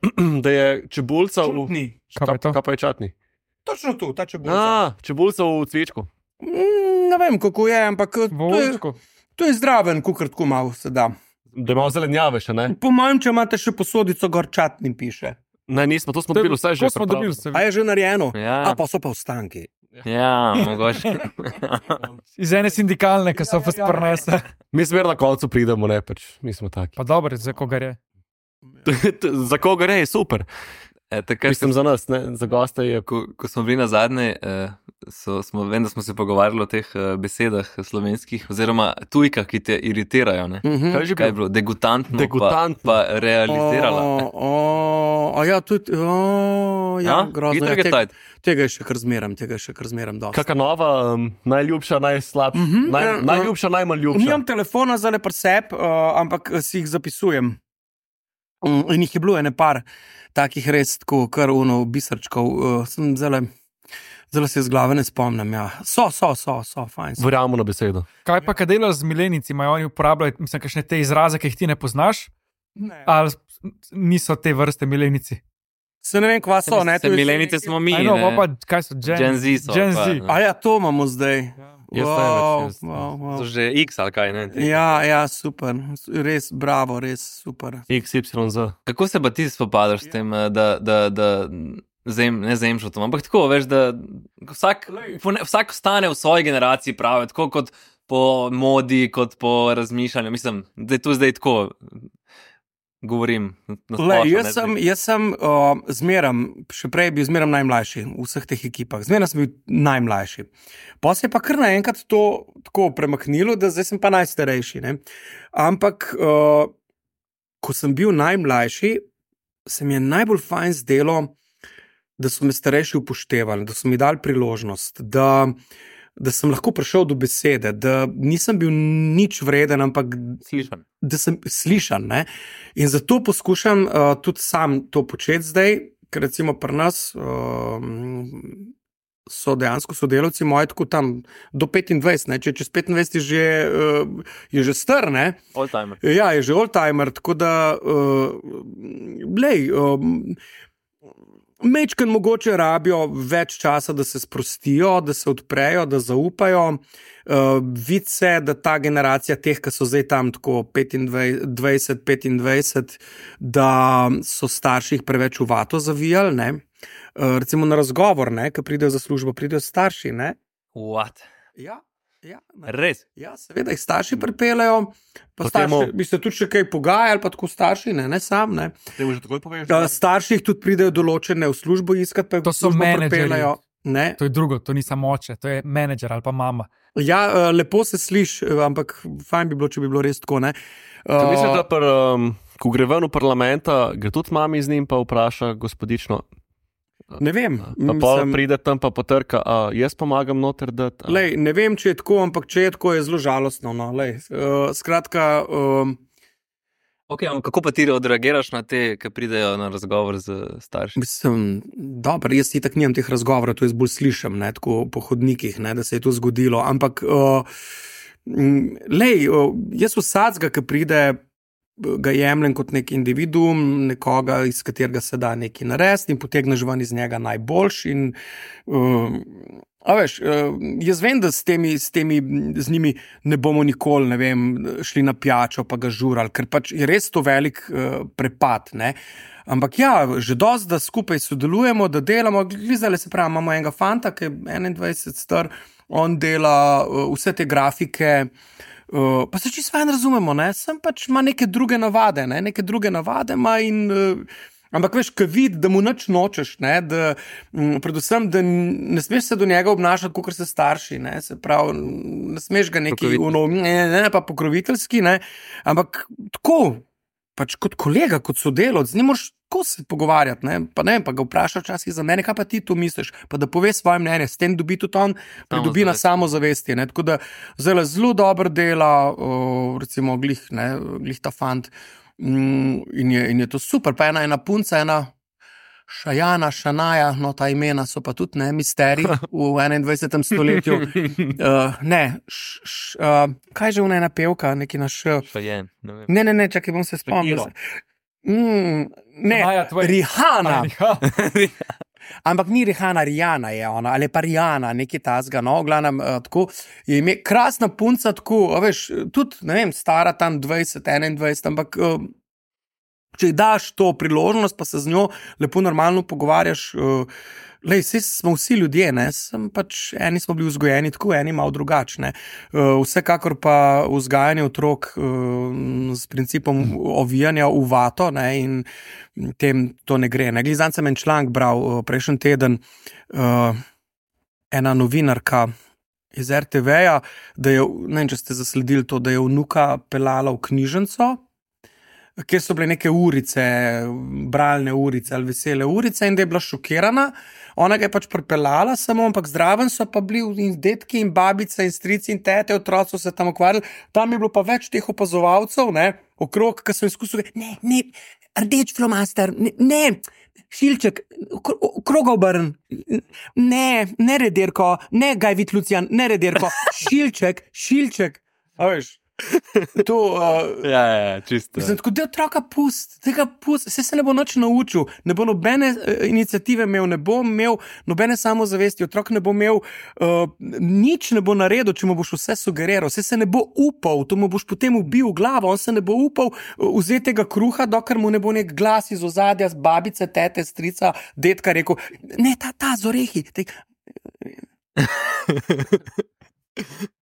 C: da je čebulca v...
A: Čutni.
E: Kaj pa je to?
C: Kaj pa je čatni?
A: Točno tu, ta čebulca.
C: A, čebulca v cvičku.
A: Mm, ne vem, kako je, ampak eh, to je,
E: Volčko.
A: to je zdraven, kukar tako malo se da.
C: Da imamo zelenjave še, ne?
A: Po mojem, če imate še posodico, gor čatni piše.
C: Ne, nismo, to smo
E: To je-
C: dobili vse že.
E: To smo
C: pripravljeno.
E: dobili, se
A: A je že narejeno?
B: Ja.
A: A pa so pa ostanki.
B: Ja, mogoče.
E: iz ene sindikalne, ki so vas prnese.
C: Mi smer na koncu pridemo, ne, pač, mi smo taki.
E: Pa dobro, za koga je.
C: Za koga gre, je super.
B: E, takrat,
C: Mislim za nas, ne, za goste je.
B: ko, ko smo bili na zadnje, eh, so, smo, vem, da smo se pogovarjali o teh eh, besedah slovenskih, oziroma tujkah, ki te iritirajo. Ne?
A: Mhm.
C: Kaj je že
B: Kaj je
C: bilo?
B: bilo? Degutantno,
C: Degutantno.
B: Pa, pa realizirala.
A: O, o, a ja, tudi, o, ja,
B: Ja,
A: grozno.
B: hitro
A: Ja,
B: je
A: tega,
B: tajt.
A: tega je še kar zmeram, tega je še kar zmeram dosti.
C: Kakšna nova, um, najljubša, najslabša,
A: Mhm,
C: naj,
A: ja,
C: najljubša, najmanj ljubša.
A: Nimam telefona za le presep, uh, ampak si jih zapisujem. Mm, in jih je bilo ene par takih res tako, kar uno biserčkov. Uh, sem zelo, zelo se iz glave ne spomnim. Ja. So, so, so, so, fajn. So.
C: Verjamemo na besedo.
E: Kaj pa, kaj delajo z milenici, imajo oni uporabljajo, mislim, kakšne te izraze, ki jih ti ne poznaš,
A: Ne.
E: ali niso te vrste milenici?
A: Se ne vem, kva so. Ne,
B: Se
A: to je-
B: milenice smo mi.
E: Aj, no,
B: ne.
E: pa, kaj so Gen,
B: Gen Z so.
E: Gen
B: pa,
E: Z.
B: ne.
A: A ja, to imamo zdaj.
C: Jaz ne
A: Wow,
C: več, jaz-
A: wow, wow.
B: So že X ali kaj. Ne?
A: Ja, ja, super. Res, bravo, res super.
C: X Y Z.
B: Kako se pa ti spopadaš s tem, eh, da, da, da zem, ne zemšotom, ampak tako, veš, da vsak, pone- vsak ostane v svoji generaciji pravi, tako kot po modi, kot po razmišljanju. Mislim, da je tu zdaj tako, govorim. na
A: Le,
B: splošno,
A: jaz
B: ne,
A: sem,
B: zdaj.
A: jaz sem uh, zmeram, še prej bil zmeram najmlajši v vseh teh ekipah, zmeram sem bil najmlajši. Pa se je pa kar naenkrat to tako premaknilo, da zdaj sem pa najstarejši. Ne? Ampak, uh, ko sem bil najmlajši, se mi je najbolj fajn zdelo, da so me starejši upoštevali, da so mi dali priložnost, da da sem lahko prišel do besede, da nisem bil nič vreden, ampak
B: Slišan.
A: da sem slišan. Ne? In zato poskušam uh, tudi sam to početi zdaj, ker recimo pri nas uh, so dejansko sodelavci moji tako tam do petindvajset, ne? Če čez petindvajset je že, uh, je že star, ne?
B: All timer.
A: Ja, je že old-timer, tako da, uh, lej, um, mečken mogoče rabijo več časa, da se sprostijo, da se odprejo, da zaupajo. Uh, Vidi se, da ta generacija teh, ki so zdaj tam tako petindvajset, petindvajset, da so starši jih preveč v vato zavijali, ne? Uh, recimo na razgovor, ne, ki pridejo za službo, pridejo starši, ne?
B: What?
A: Ja. Ja, ne.
B: Res?
A: Ja, seveda jih starši pripeljejo, pa
C: Potem
A: starši,
C: o-
A: bi se tudi še kaj pogajali, pa tako starši, ne, ne sam, ne.
C: Te mu že takoj poveš,
A: Uh, starši jih tudi pridejo določene v službo iskat, pa jih
E: To
A: v
E: so
A: službo
E: menedžerji.
A: pripeljejo. Ne.
E: To je drugo, to ni samo oče, to je menedžer ali pa mama.
A: Ja, uh, lepo se sliši, uh, ampak fajn bi bilo, če bi bilo res tako, ne.
C: Uh,
A: Uh,
C: mislim, da pr, um, ko gre ven v parlamenta, gre tudi mami z njim pa vpraša gospodično.
A: ne vem,
C: Pa pol
A: mislim,
C: pride tam pa potrka, a jaz pomagam noter dati. a-
A: lej, ne vem, če je tako, ampak če je tako, je zelo žalostno, no, lej. Uh, skratka, um,
B: Okay, kako pa ti odreagiraš na te, ki pridejo na razgovor z starši?
A: Mislim, dobro, jaz itak nimam teh razgovorov, to jaz bolj slišim, ne, tako po hodnikih, ne, da se je to zgodilo. Ampak, uh, lej, uh, jaz vsadzga, ki pride, ga jemljem kot nek individuum, nekoga, iz katerega se da nekaj narediti in potegneš ven iz njega najboljši. In, uh, a veš, uh, jaz vem, da s temi, s temi, z njimi ne bomo nikoli, ne vem, šli na pijačo pa ga žurali, ker pač je res to velik uh, prepad, ne. Ampak ja, že dosti, da skupaj sodelujemo, da delamo. Glizali se pravi, imamo enega fanta, ki je enaindvajset star, on dela uh, vse te grafike. Uh, pa se čisto fajn razumemo, ne? Sem pač ima neke druge navade, ne? neke druge navade ima in. Uh, ampak veš, kaj vidi, da mu nič nočeš, ne? Da, um, predvsem, da n- ne smeš se do njega obnašati, kot se starši, ne? Se pravi, ne smeš ga neki
B: Pokroviteljski.
A: uno, ne, ne, pa pokroviteljski, ne? Ampak tako, pač kot kolega, kot sodelavec, z njim moraš tako se pogovarjati, ne? Pa ne, pa ga vprašaš včasih za mene, kaj pa ti tu misliš, pa da pove svoje mnenje, s tem dobi tudi on, pridobi na samozavesti, ne? Tako da zelo, zelo dobro dela, o, recimo glih, ne, glih ta fant, mm, in, je, in je to super, pa ena, ena punca, ena Šajana, Šanaja, no ta imena so pa tudi, ne, misterij v enaindvajsetem stoletju. Uh, ne, š, š, uh, kaj že ona ena pevka, neki naš.
B: Šajen, ne vem.
A: Ne, ne, ne, čakaj, bom se spomnil. Mm, ne,
E: Šanaja, tvoj-
A: Rihana.
E: Ja.
A: Ampak ni Rihana, Rijana je ona, ali pa Rijana, nekaj tasga, no, v glavnem, uh, tako, je ime, krasna punca, tako, a veš, tudi, ne vem, stara tam dvajset, enaindvajset, ampak uh, če ji daš to priložnost, pa se z njo lepo normalno pogovarjaš, uh, lej, saj smo vsi ljudje, ne, sem pač, eni smo bili vzgojeni tako, eni malo drugačne. Uh, vsekakor pa vzgajanje otrok uh, s principom ovijanja v vato, ne, in tem to ne gre. Ne. Glizan sem en članek bral uh, prejšnji teden, uh, ena novinarka iz er te veja, da je, ne vem, če ste zasledili to, da je vnuka pelala v knjižnico, kjer so bile neke urice, bralne urice ali vesele urice, in da je bila šokirana. Ona ga je pač pripeljala samo, ampak zraven so pa bili in dedki in babice in strici in tete, otroci so se tam ukvarjali. Tam je bilo pa več teh opazovalcev, ne, okrog, ki so izkusili, ne, ne, rdeč flomaster, ne, ne, šilček, kroga obrn, ne, ne redirko, ne Gajvit Lucijan, ne redirko, šilček, šilček. A veš? To, uh,
B: Ja, ja, ja, čisto.
A: Mislim, tako da otroka pust, tega pust, vse se ne bo nič naučil, ne bo nobene uh, iniciative imel, ne bo imel nobene samozavesti, otrok ne bo imel, uh, nič ne bo naredil, če mu boš vse sugeriral, vse se ne bo upal, to mu boš potem ubil glavo, on se ne bo upal uh, vzeti tega kruha, dokler mu ne bo nek glas iz ozadja, z babice, tete, strica, dedka rekel, ne, ta, ta z orehi. Te...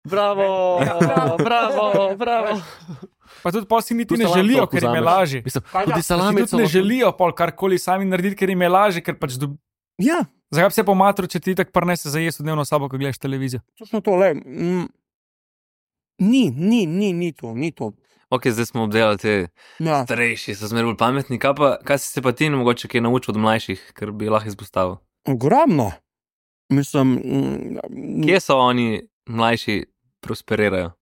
C: Bravo, bravo, bravo, bravo.
E: Pa tudi pol si niti
C: Tu
E: ne
C: salami
E: želijo,
C: toliko
E: ker jim je
C: vzameš.
E: lažje.
C: Mislim,
A: Kaj
C: tudi
A: da?
C: salami
E: Tudi ne želijo pol karkoli sami narediti, ker jim je lažje, ker pač dob...
A: Ja,
E: Zakaj bi se po matru, če ti tako prenese za jesti v dnevno sobo, ko gledaš televizijo?
A: točno to, le. Mm, ni, ni, ni, ni to, ni to.
B: Ok, zdaj smo obdelali te
A: Ja.
B: starejši, so zmeraj bolj pametni. Kaj, pa, kaj si se pa ti mogoče kaj naučil od mlajših, ker bi lahko izpostavil?
A: Ogromno. Mislim,
B: Kje so oni mlajši prosperirajo?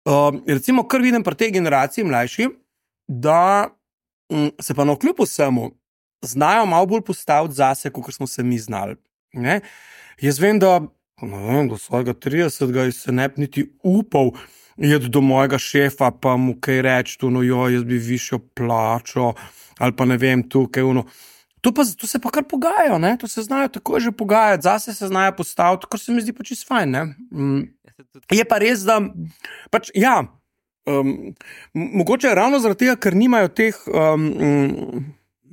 A: Uh, recimo, kar vidim pri tej generaciji mlajši, da um, se pa na kljub vsemu znajo malo bolj postaviti zase, kot smo se mi znali. Ne? Jaz vem, da ne vem, do svojega tridesetega se ne bi niti upal iti do mojega šefa, pa mu kaj reči, tu, no, jo, jaz bi višjo plačo, ali pa ne vem, tu, kaj uno. To, pa, to se pa kar pogajajo, ne? To se znajo tako že pogajati, zase se znajo postaviti, kar se mi zdi pa čisto fajn. Ne? Mm. Je pa res, da pač, ja, um, mogoče ravno zaradi tega, ker nimajo teh, um, um,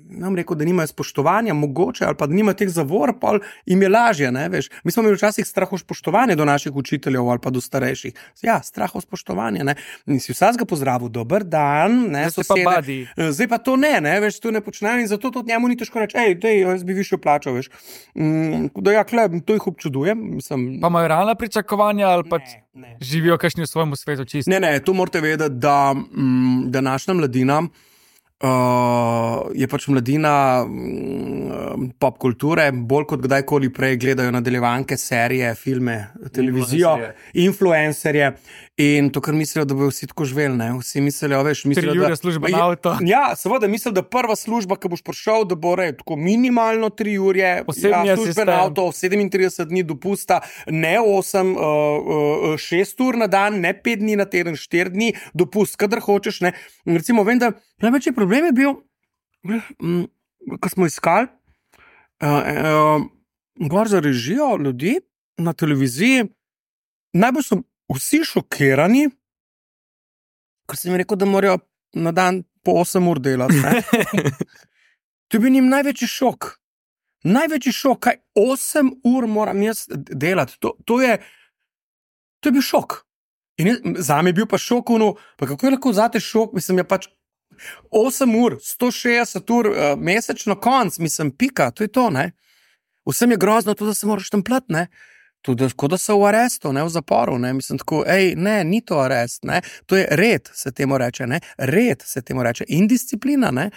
A: nam rekel, da nimajo spoštovanja, mogoče, ali pa da nimajo teh zavor, pa jim je lažje, ne, veš. Mi smo imeli včasih strah od spoštovanja do naših učiteljev ali pa do starejših. Ja, strah od spoštovanja, ne. In si vsakega pozdravil, dober dan, ne, sosede. Zdaj pa to ne, ne, veš, to ne počnejo in zato to njemu ni težko reči, ej, dej, jaz bi višjo plačo, veš. Mm, da ja, kle, to jih občudujem. Mislim,
E: pa imajo realna pričakovanja ali pa živijo kakšni v svojem svetu čisto?
A: Ne, ne, tu morate vedeti, da mm, današnja mladina Uh, je pač mladina um, pop kulture, bolj kot kdajkoli prej gledajo nadaljevanke, serije, filme, televizijo, influencerje in to, kar mislijo, da bojo vsi tako živeli, ne, vsi mislijo, veš, mislijo,
E: tri ure služba na avto.
A: Ja, seveda, mislijo, da prva služba, ki boš prišel, da bo rej, tako minimalno tri ure, ja, službe na avto, sedemintrideset dni dopusta, ne osem, uh, uh, šest ur na dan, ne pet dni na teden, štiri dni, dopust, kadar hočeš, ne, in recimo, vem, da največji problem je bil, ko smo iskali uh, uh, gor za režijo ljudi na televiziji, najbolj so vsi šokirani, ker sem jim rekel, da morajo na dan po osem ur delati. To je bil njim največji šok. Največji šok, kaj osem ur moram jaz delati. To, to, je, to je bil šok. In jaz, zame je bil pa šok, ono, pa kako je lahko vzate šok, mislim, je pač osem ur, sto šestdeset ur uh, mesečno konc, mislim, pika, to je to, ne. Vsem je grozno to, da se moraš tam plat, ne. Tudi, kot da so v arestu, ne, v zaporu, ne, mislim tako, ej, ne, ni to arest, ne, to je red, se temu reče, ne, red se temu reče in disciplina, ne,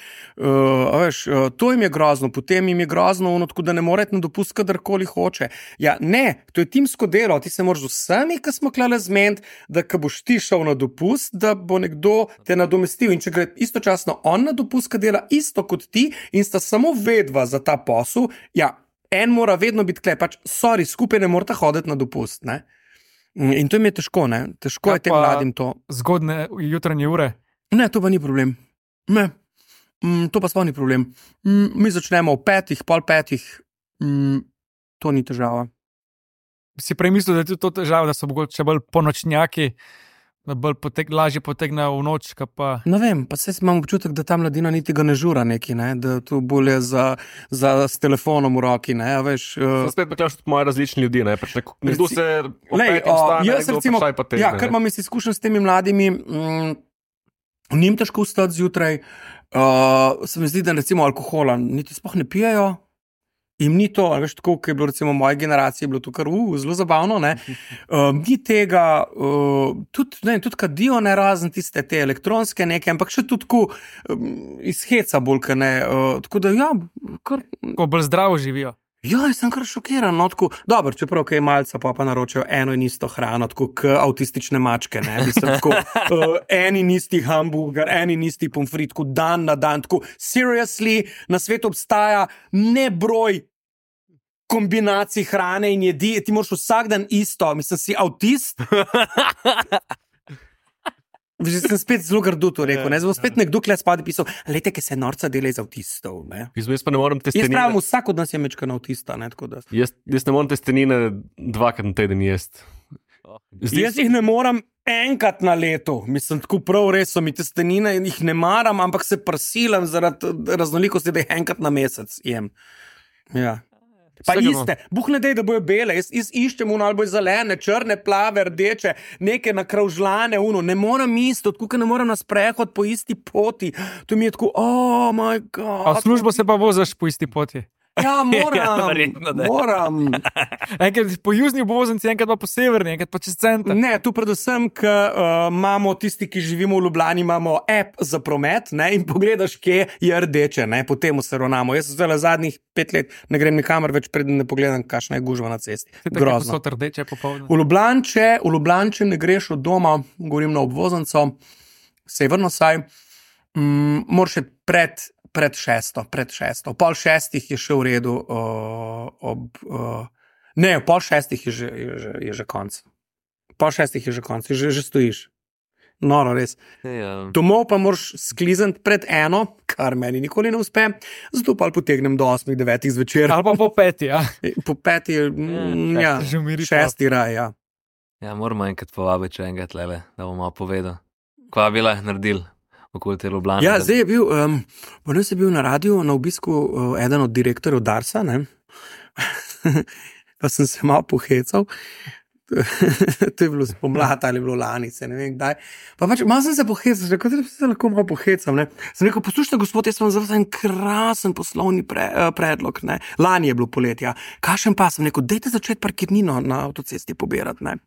A: uh, veš, uh, to jim je grozno, potem jim je grozno, ono, tako da ne more na dopust, kadarkoli hoče. Ja, ne, to je timsko delo, ti se moraš z vsemi, ki smo klale zmeniti, da ko boš ti šel na dopust, da bo nekdo te nadomestil in če gre istočasno on na dopust, ki dela isto kot ti in sta samo vedva za ta posel, ja, en mora vedno biti klep, pač, sorry, skupaj ne morata hoditi na dopust, ne. In to jim je težko, ne, težko je tem mladim to.
E: Zgodne jutranje ure?
A: Ne, to pa ni problem. Ne, mm, to pa sploh ni problem. Mm, mi začnemo ob petih, pol petih, mm, to ni težava.
E: Si prej mislil, da je to težava, da so mogoče bolj ponočnjaki, da bolj potek, lažje potegnejo v noč, pa...
A: Ne vem, pa se imam občutek, da ta mladina niti ga ne žura neki, ne? Da to bolje za, za s telefonom v roki, ne, a veš... Uh...
C: Spet pa kleš tudi moje različni ljudi, ne, pač nekdo, nekdo se opet ostane,
A: jaz
C: nekdo
A: recimo,
C: pa šaj pa tegne.
A: Ja, kar imam izkušen s temi mladimi, mm, njim težko vstati zjutraj, uh, se mi zdi, da recimo alkohola niti sploh ne pijejo, jim ni to, veš, tako, ki je bilo recimo moje generacije, je bilo to kar uh, zelo zabavno, ne, uh, ni tega, uh, tudi, ne, tudi kadijo ne razen tiste te elektronske neke, ampak še tudi tako um, iz heca bolj, ka ne, uh, tako da ja, kar...
E: Ko bolj zdravo živijo.
A: Ja, jaz sem kar šokiran, no, tako, dobro, čeprav kaj malca pa pa naročajo eno in isto hrano, tako k avtistične mačke, ne, mislim, tako, uh, en in isti hamburger, en in isti pomfrit, tako dan na dan, tako, seriously, na svetu obstaja nebroj kombinacij hrane in jedi, ti moraš vsak dan isto, mislim, si avtist. Že sem spet zelo grdo to rekel, ne, zelo spet nekdo kle spadi pisal, lejte, ki se norca dela iz avtistov, ne.
C: Jaz pa ne moram testenine.
A: Jaz pravim, vsak od nas je mečkan avtista, ne, tako da.
C: Jaz, jaz ne moram testenine dvakrat na teden jest.
A: Zdi... Jaz jih ne moram enkrat na leto, mislim, tako prav res so mi testenine in jih ne maram, ampak se prsilam zaradi raznolikosti, da jih enkrat na mesec jem. Ja. Pa Vsega iste, Bog ne dej, da bojo bele, jaz, jaz iščem uno, ali bojo zelene, črne, plave, rdeče, neke nakravžlane, uno, ne moram isto, tako ne moram na sprehod po isti poti, to mi je tako, oh my god.
E: A v službo se pa vozaš po isti poti?
A: Ja, moram,
B: Ja, verjetno, da.
A: moram.
E: Enkrat po južni obvoznici, enkrat pa po severni, enkrat pa čez center.
A: Ne, tu predvsem, ker uh, imamo tisti, ki živimo v Ljubljani, imamo app za promet, ne, in pogledaš, kje je rdeče, ne, po tem se ravnamo. Jaz zdaj zadnjih pet let ne grem nikamor več, preden ne pogledam, kakšna je gužva na cesti. Grozno.
E: So rdeče popoldne.
A: V Ljubljanče, v Ljubljanče ne greš od doma, govorim na obvoznico, severno saj, mm, moraš še pred, pred šesto, pred šesto. Pol šestih je še v redu, uh, ob, uh, ne, pol šestih je že, je že, je že konc. Pol šestih je že konc, že, že stojiš. Noro, res.
B: Ja.
A: Domov pa moraš sklizati pred eno, kar meni nikoli ne uspe, zato pa potegnem do osmih, devetih zvečer.
E: Ali pa po peti, ja.
A: Po peti, mm, ja,
E: Že umiri.
A: šesti raj, ja.
B: Ja, moramo enkrat povabiti, če enkrat lele, da bomo malo povedal. Kva bila je naredil okoli te Ljubljane?
A: Ja,
B: da-
A: zdaj je bil, um, potem je bil na radiju na obisku uh, eden od direktorjev Darsa, ne? Pa sem se malo pohecal. To je bilo spomladi ali bilo lani, se ne vem kdaj. Pa pač malo sem se pohecal, rekel, da se lahko malo pohecam. Ne? Sem rekel, poslušajte, gospod, jaz sem za vas en krasen poslovni pre, uh, predlog. Ne? Lani je bilo poletja. Kašen pa sem rekel, dajte začeti parkirnino na avtocesti pobirati. Ne?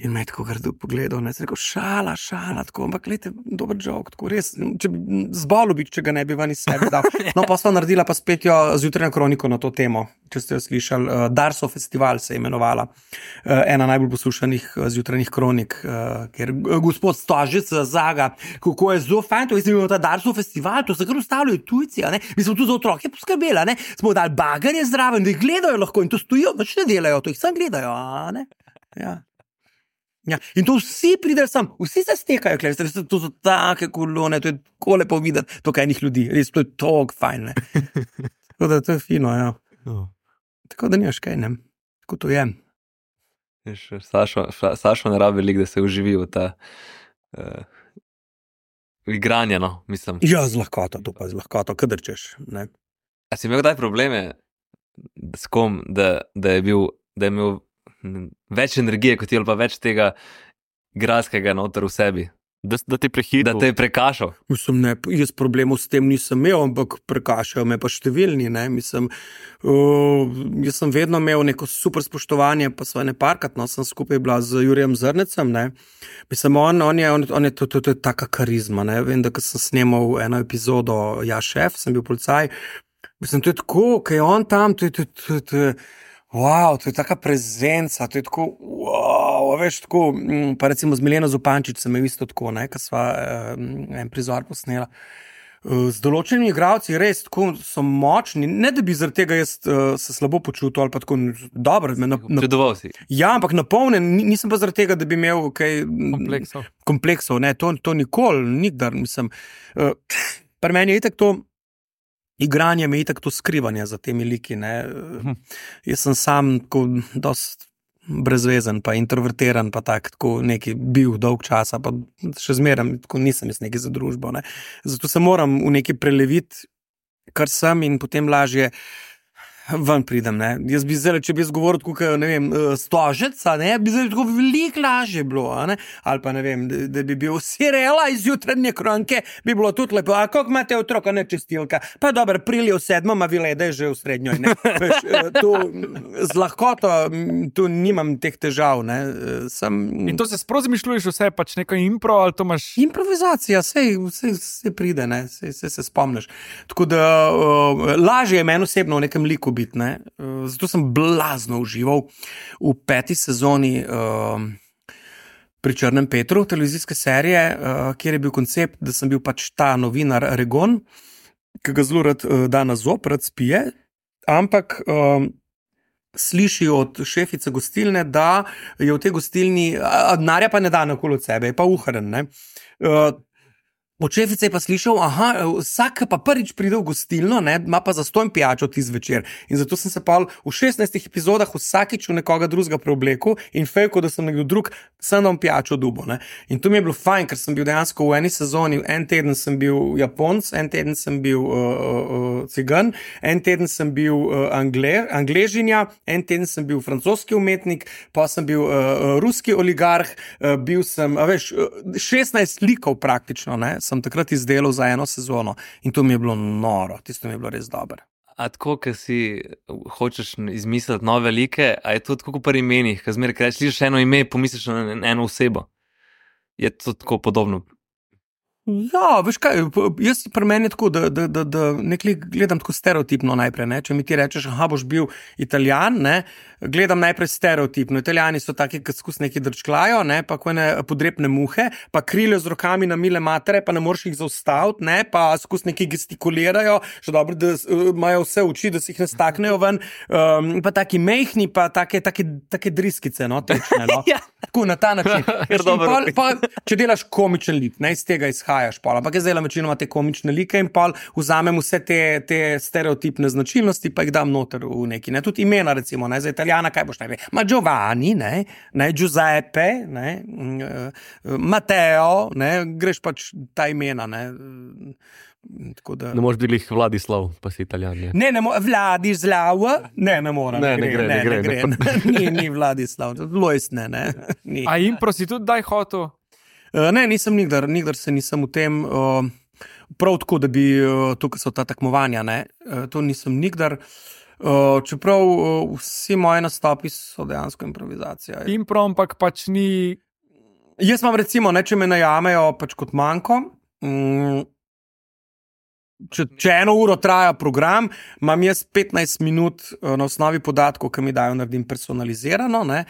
A: In me je tako grdo pogledal, ne, sem rekel, šala, šala, tako, ampak gledajte, dober jok, tako res, če bi zbolel bi, če ga ne bi ven iz sebe dal. No, pa sva naredila pa spet jo zjutrajno kroniko na to temo, če ste jo slišali, uh, Darso festival se je imenovala, uh, ena najbolj poslušanih uh, zjutrajnih kronik, uh, ker uh, gospod Stožic zaga, kako je zelo fajn, to je ta Darso festival, to se kar ustavljajo tujci, a ne, mi smo tu za otroke poskrbeli, a ne, smo dali bagarje zraven, da jih gledajo lahko in to stojijo, noč ne delajo, to jih sam gledajo, a ne, ja. Ja, in to vsi pridejo sem, vsi se stekajo, kler, to so take kolone, to je tako lepo videti, to kaj enih ljudi, res, to je tako fajn, ne. Tako da to je fino, ja.
C: No.
A: Tako da nimaš kaj, ne, tako to je.
B: Veš, Sašo, Sašo ne rabi veliko, da se uživi v ta uh, igranje, no, mislim.
A: Ja, z lahkoto, to pa z lahkoto, kadar češ, ne.
B: A si imel kdaj probleme s kom, da, da je bil, da je imel več energije kot ti, ali pa več tega igralskega noter v sebi,
C: Da, da te prehitro.
B: da te je prekašal?
A: Mislim, ne, jaz problemov s tem nisem imel, ampak prekašajo me pa številni, ne, mislim, uh, jaz sem vedno imel neko super spoštovanje, pa sva ne parkat, no, sem skupaj bila z Jurijem Zrnecem, ne, mislim, on, on je, on, on je to, to, to je taka karizma, ne, vem, da ko sem snemal eno epizodo, ja, šef, sem bil policaj, mislim, to je tako, kaj je on tam, to je, to je, to je, to je wow, to je taka prezenca, to je tako, wow, veš, tako, pa recimo z Mileno Zupančič sem imel isto tako, ne, ko sva um, en prizor posnela. Z določenimi igralci res tako so močni, ne da bi zaradi tega jaz uh, se slabo počutil ali pa tako dobro. Na, na,
B: Čudoval si.
A: ja, ampak napolnen, nisem pa zaradi tega, da bi imel kaj
E: Kompleksov.
A: kompleksov, ne, to, to nikoli, nikdar, mislim. Uh, pri meni je itak to, igranje me je itak to skrivanje za temi liki, ne.
E: Hm.
A: Jaz sem sam tako dost brezvezen, pa introvertiran, pa tak, tako neki bil dolg časa, pa še zmeraj tako nisem jaz neki za družbo, ne. Zato se moram v neki preleviti, kar sem in potem lažje ven pridem, ne. Jaz bi zdaj, če bi jaz govoril tako, ne vem, Stožec, ne, bi zdaj tako veliko lažje bilo, ne, ali pa ne vem, da, da bi bil Sirela iz jutranje kronike, bi bilo tudi lepo, a koliko imate otroka, ne čestilka, pa dobro, prilijo sedmo, ma vile, da je že v srednjoj, ne. Veš, tu z lahkoto, tu nimam teh težav, ne, sem...
E: In to se sprozi mišljuješ vse, pač neko impro, ali to imaš...
A: Improvizacija, sej, sej, sej pride, ne, sej, sej se spomniš. Tako da uh, lažje je meni osebno v nekem liku biti, ne. Uh, zato sem blazno užival v peti sezoni uh, pri Črnem Petru, televizijske serije, uh, kjer je bil koncept, da sem bil pač ta novinar Regon, ki ga zelo rad uh, da na zob, rad spije, ampak... Uh, sliši od šefice gostilne, da je v tej gostilni, a denarja pa ne da nakoli od sebe, je pa uhren, ne. Uh, Od šefice je pa slišal, aha, vsak pa prvič pride v gostilno, ne, ima pa zastonj pijačo tisti zvečer. In zato sem se pa v šestnajstih epizodah vsakič v nekoga drugega preoblekel in fejko, da sem nekdo drug, sem dal pijačo dubo, ne. In to mi je bilo fajn, ker sem bil dejansko v eni sezoni, en teden sem bil Japonc, en teden sem bil uh, uh, Cigan, en teden sem bil uh, Angle, Angležinja, en teden sem bil francoski umetnik, pa sem bil uh, ruski oligarh, uh, bil sem, a veš, šestnajst likov praktično, ne, sem takrat izdelal za eno sezono in to mi je bilo noro, tisto mi je bilo res dobro.
B: A tako, ker si hočeš izmisliti nove like, a je to tako pri imenih, ker zmeraj, ker slišiš eno ime, pomisliš na eno osebo. Je to tako podobno?
A: Ja, veš kaj, jaz pri meni je tako, da, da, da, da nekaj gledam tako stereotipno najprej, ne? Če mi ti rečeš, aha, boš bil Italijan, ne? Gledam najprej stereotipno. Italijani so taki, ki skus neki drčklajo, ne? Pa ko ne podrepne muhe, pa krilijo z rokami na mile matere, pa ne moreš jih zaustaviti, ne? Pa skus neki gestikulirajo, še dobro, da imajo vse oči, da si jih ne staknejo ven, um, pa taki mehni, pa take, take, take driskice, no, tečne, no.
B: Ja.
A: Tako, na ta način. Pol, pa, če delaš komičen lik, ne, iz tega izhajaš, pol. Ampak jaz delam večinoma te komične like in pol vzamem vse te, te stereotipne značilnosti, pa jih dam noter v neki, ne, tudi imena, recimo, ne, za Italijana, kaj boš najprej? Ma Giovanni, ne, ne, Giuseppe, ne, Matteo, ne, greš pač ta imena, ne. Tako da...
C: Ne moreš biti Vladislav, pa si Italijan. Ne,
A: ne, ne Vladislav, ne, ne mora.
C: Ne, ne gre, ne gre.
A: Ne gre. Ne. Ni, ni Vladislav, Lojs ne, ne. Ni.
E: A impro si tudi daj hotel?
A: Uh, ne, nisem nikdar, nikdar se nisem v tem, uh, prav tako, da bi, uh, tukaj so ta tekmovanja, ne, uh, to nisem nikdar, uh, čeprav uh, vsi moji nastopi so dejansko improvizacija.
E: Impro, ampak pač ni...
A: Jaz imam recimo, ne, če me najamejo pač kot manjko, um, Če, če eno uro traja program, imam jaz petnajst minut uh, na osnovi podatkov, ki mi dajo, naredim personalizirano, ne,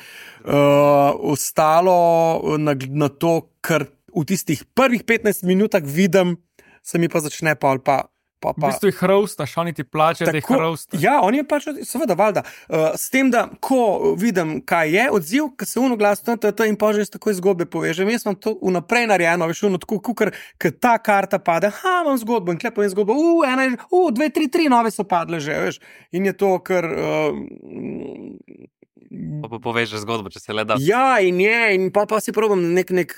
A: uh, ostalo na, na to, kar v tistih prvih petnajst minutah vidim, se mi pa začne pa ali pa. Pa, pa.
E: V bistvu jih hrostaš, oni ti plačajo, da jih hrostaš.
A: Ja, oni je plačajo, seveda, valjda. Uh, s tem, da ko vidim, kaj je odziv, ko se uno glasno, in pa že takoj zgodbe povežem. Jaz imam to vnaprej narejeno, veš, uno tako, kukar, ker ta karta pade, ha, imam zgodbo in klepo je zgodbo, u, ena je, u, dve, tri, tri nove so padle že, veš. In je to, ker... Uh,
B: Pa, pa povežeš zgodbo, če se le da.
A: Ja, in je, in pa, pa si probam nek, nek,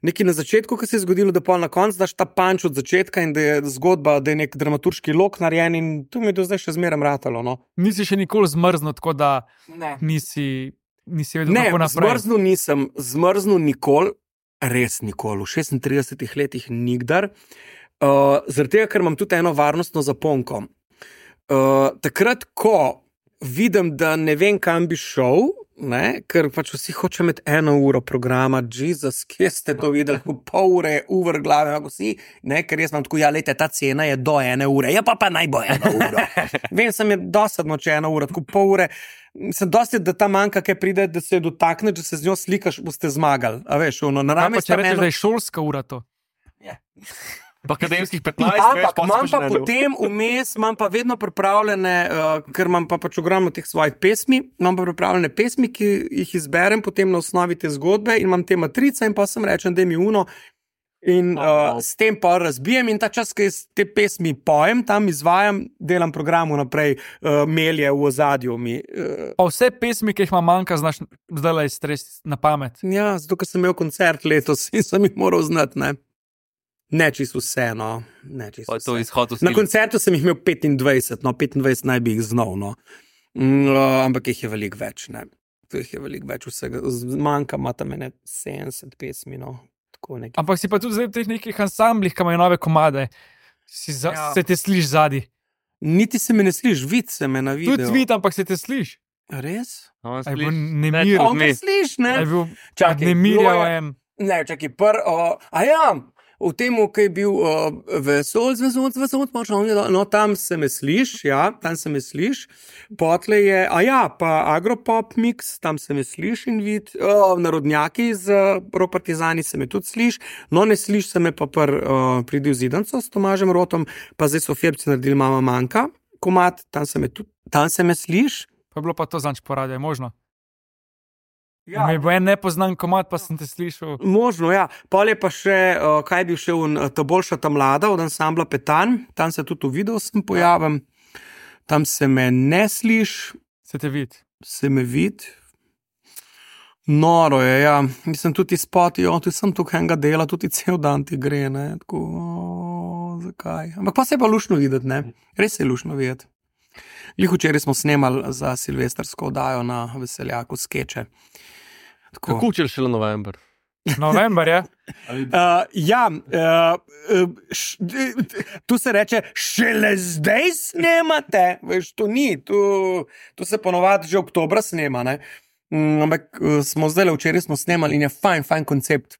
A: nekaj na začetku, ko se je zgodilo, da pol na koncu daš ta panč od začetka in da je zgodba, da je nek dramaturški lok narejen in to mi je do zdaj še zmeraj ratalo. No.
E: Nisi še nikoli zmrznil, tako da
A: ne.
E: nisi, nisi vedel,
A: ne,
E: kako naprej.
A: Ne, zmrznil nisem, zmrznil nikoli, res nikoli, v šestintridesetih letih nikdar, uh, zaradi tega, ker imam tudi eno varnostno zaponko. Uh, takrat, ko vidim, da ne vem, kam bi šel, ne, ker pač vsi hoče imeti eno uro programa, Jezus, kje ste to videli, pol ure je uvr glave, ako si, ne, ker jaz imam tako, ja, lejte, ta cena je do ene ure, ja, pa pa naj bo eno uro. Vem, sem je dosadno, če eno uro, tako pol ure, sem dosti, da ta manjka, kaj pride, da se dotakne, če se z njo slikaš, boste zmagali, a veš, ono, naravno.
E: Ja, pa če rečeš, eno... da je šolska ura to.
A: Ja.
C: Pa akademskih petnajst,
A: ampak imam pa potem vmes, imam pa vedno pripravljene, uh, ker imam pa pač ogromno teh svojih pesmi, imam pa pripravljene pesmi, ki jih izberem potem na osnovi te zgodbe in imam te matrice in pa sem rečem, da mi uno in uh, s tem pa razbijem in ta čas, ki te pesmi pojem, tam izvajam, delam programu naprej, uh, melje v ozadju mi. Uh.
E: Pa vse pesmi, ki jih ima manjka, znaš zdaj stres na pamet.
A: Ja, zato, ker sem imel koncert letos in sem jih moral znati, ne. Ne čisto vse, no. Ne čisto vse. Na koncertu sem jih imel petindvajset, no, petindvajset naj bi jih znal, no. Mm, ampak jih je veliko več, ne. To jih je veliko več vsega. Manjka ima tam ene sedemdeset pesmi, no. Tako nekaj.
E: Ampak si pa tudi zdaj v teh nekih ansamblih, ki imajo nove komade, si za, ja. Se te sliš zadi.
A: Niti se me ne sliš, vid se me na videu.
E: Tudi vid, ampak se te sliš.
A: Res?
E: On sliš. Nemir.
A: On me sliš, ne?
E: Čakaj, Nemirja en.
A: Ne, čakaj, pr, o, a ja, v tem, ki je bil uh, vesolc, vesolc, vesolc, no, tam se me sliš, ja, tam se me sliš, potle je, a ja, pa Agropop mix, tam se me sliš in vid, uh, Narodnjaki z uh, Ropartizani se me tudi sliš, no, ne sliš se me pa pr uh, Pridi v zidanco s Tomažem Rotom, pa zdaj so Fjerbci naredili Mama manjka, komad, tam se me tudi, tam se me sliš.
E: Pa je bilo pa to zanč poradje, možno?
A: Ja.
E: Mi bo en nepoznan komad, pa sem te slišal.
A: Možno, ja. Pol je pa še, uh, kaj je bil še un, ta boljša ta mlada od ansambla Petan, tam se tudi v videu sem pojavim, tam se me ne sliš.
E: Se te vid.
A: Se me vid. Noro je, ja. Mislim, tudi spoti, jo, tudi sem tukaj enega dela, tudi cel dan ti gre, ne. Tako, o, zakaj? Ampak pa se je pa lušno videti, ne. Res je lušno videti. Glih včeraj smo snemali za silvestrsko oddajo na Veseljaku skeče.
C: Kako učil šele november?
E: November je.
A: Uh, ja, uh, š, tu se reče, šele zdaj snemate. Veš, to ni, tu, tu se ponovadi že oktobra snema. Ne? Um, ampak uh, smo zdaj, včeraj smo snemali in je fajn, fajn koncept.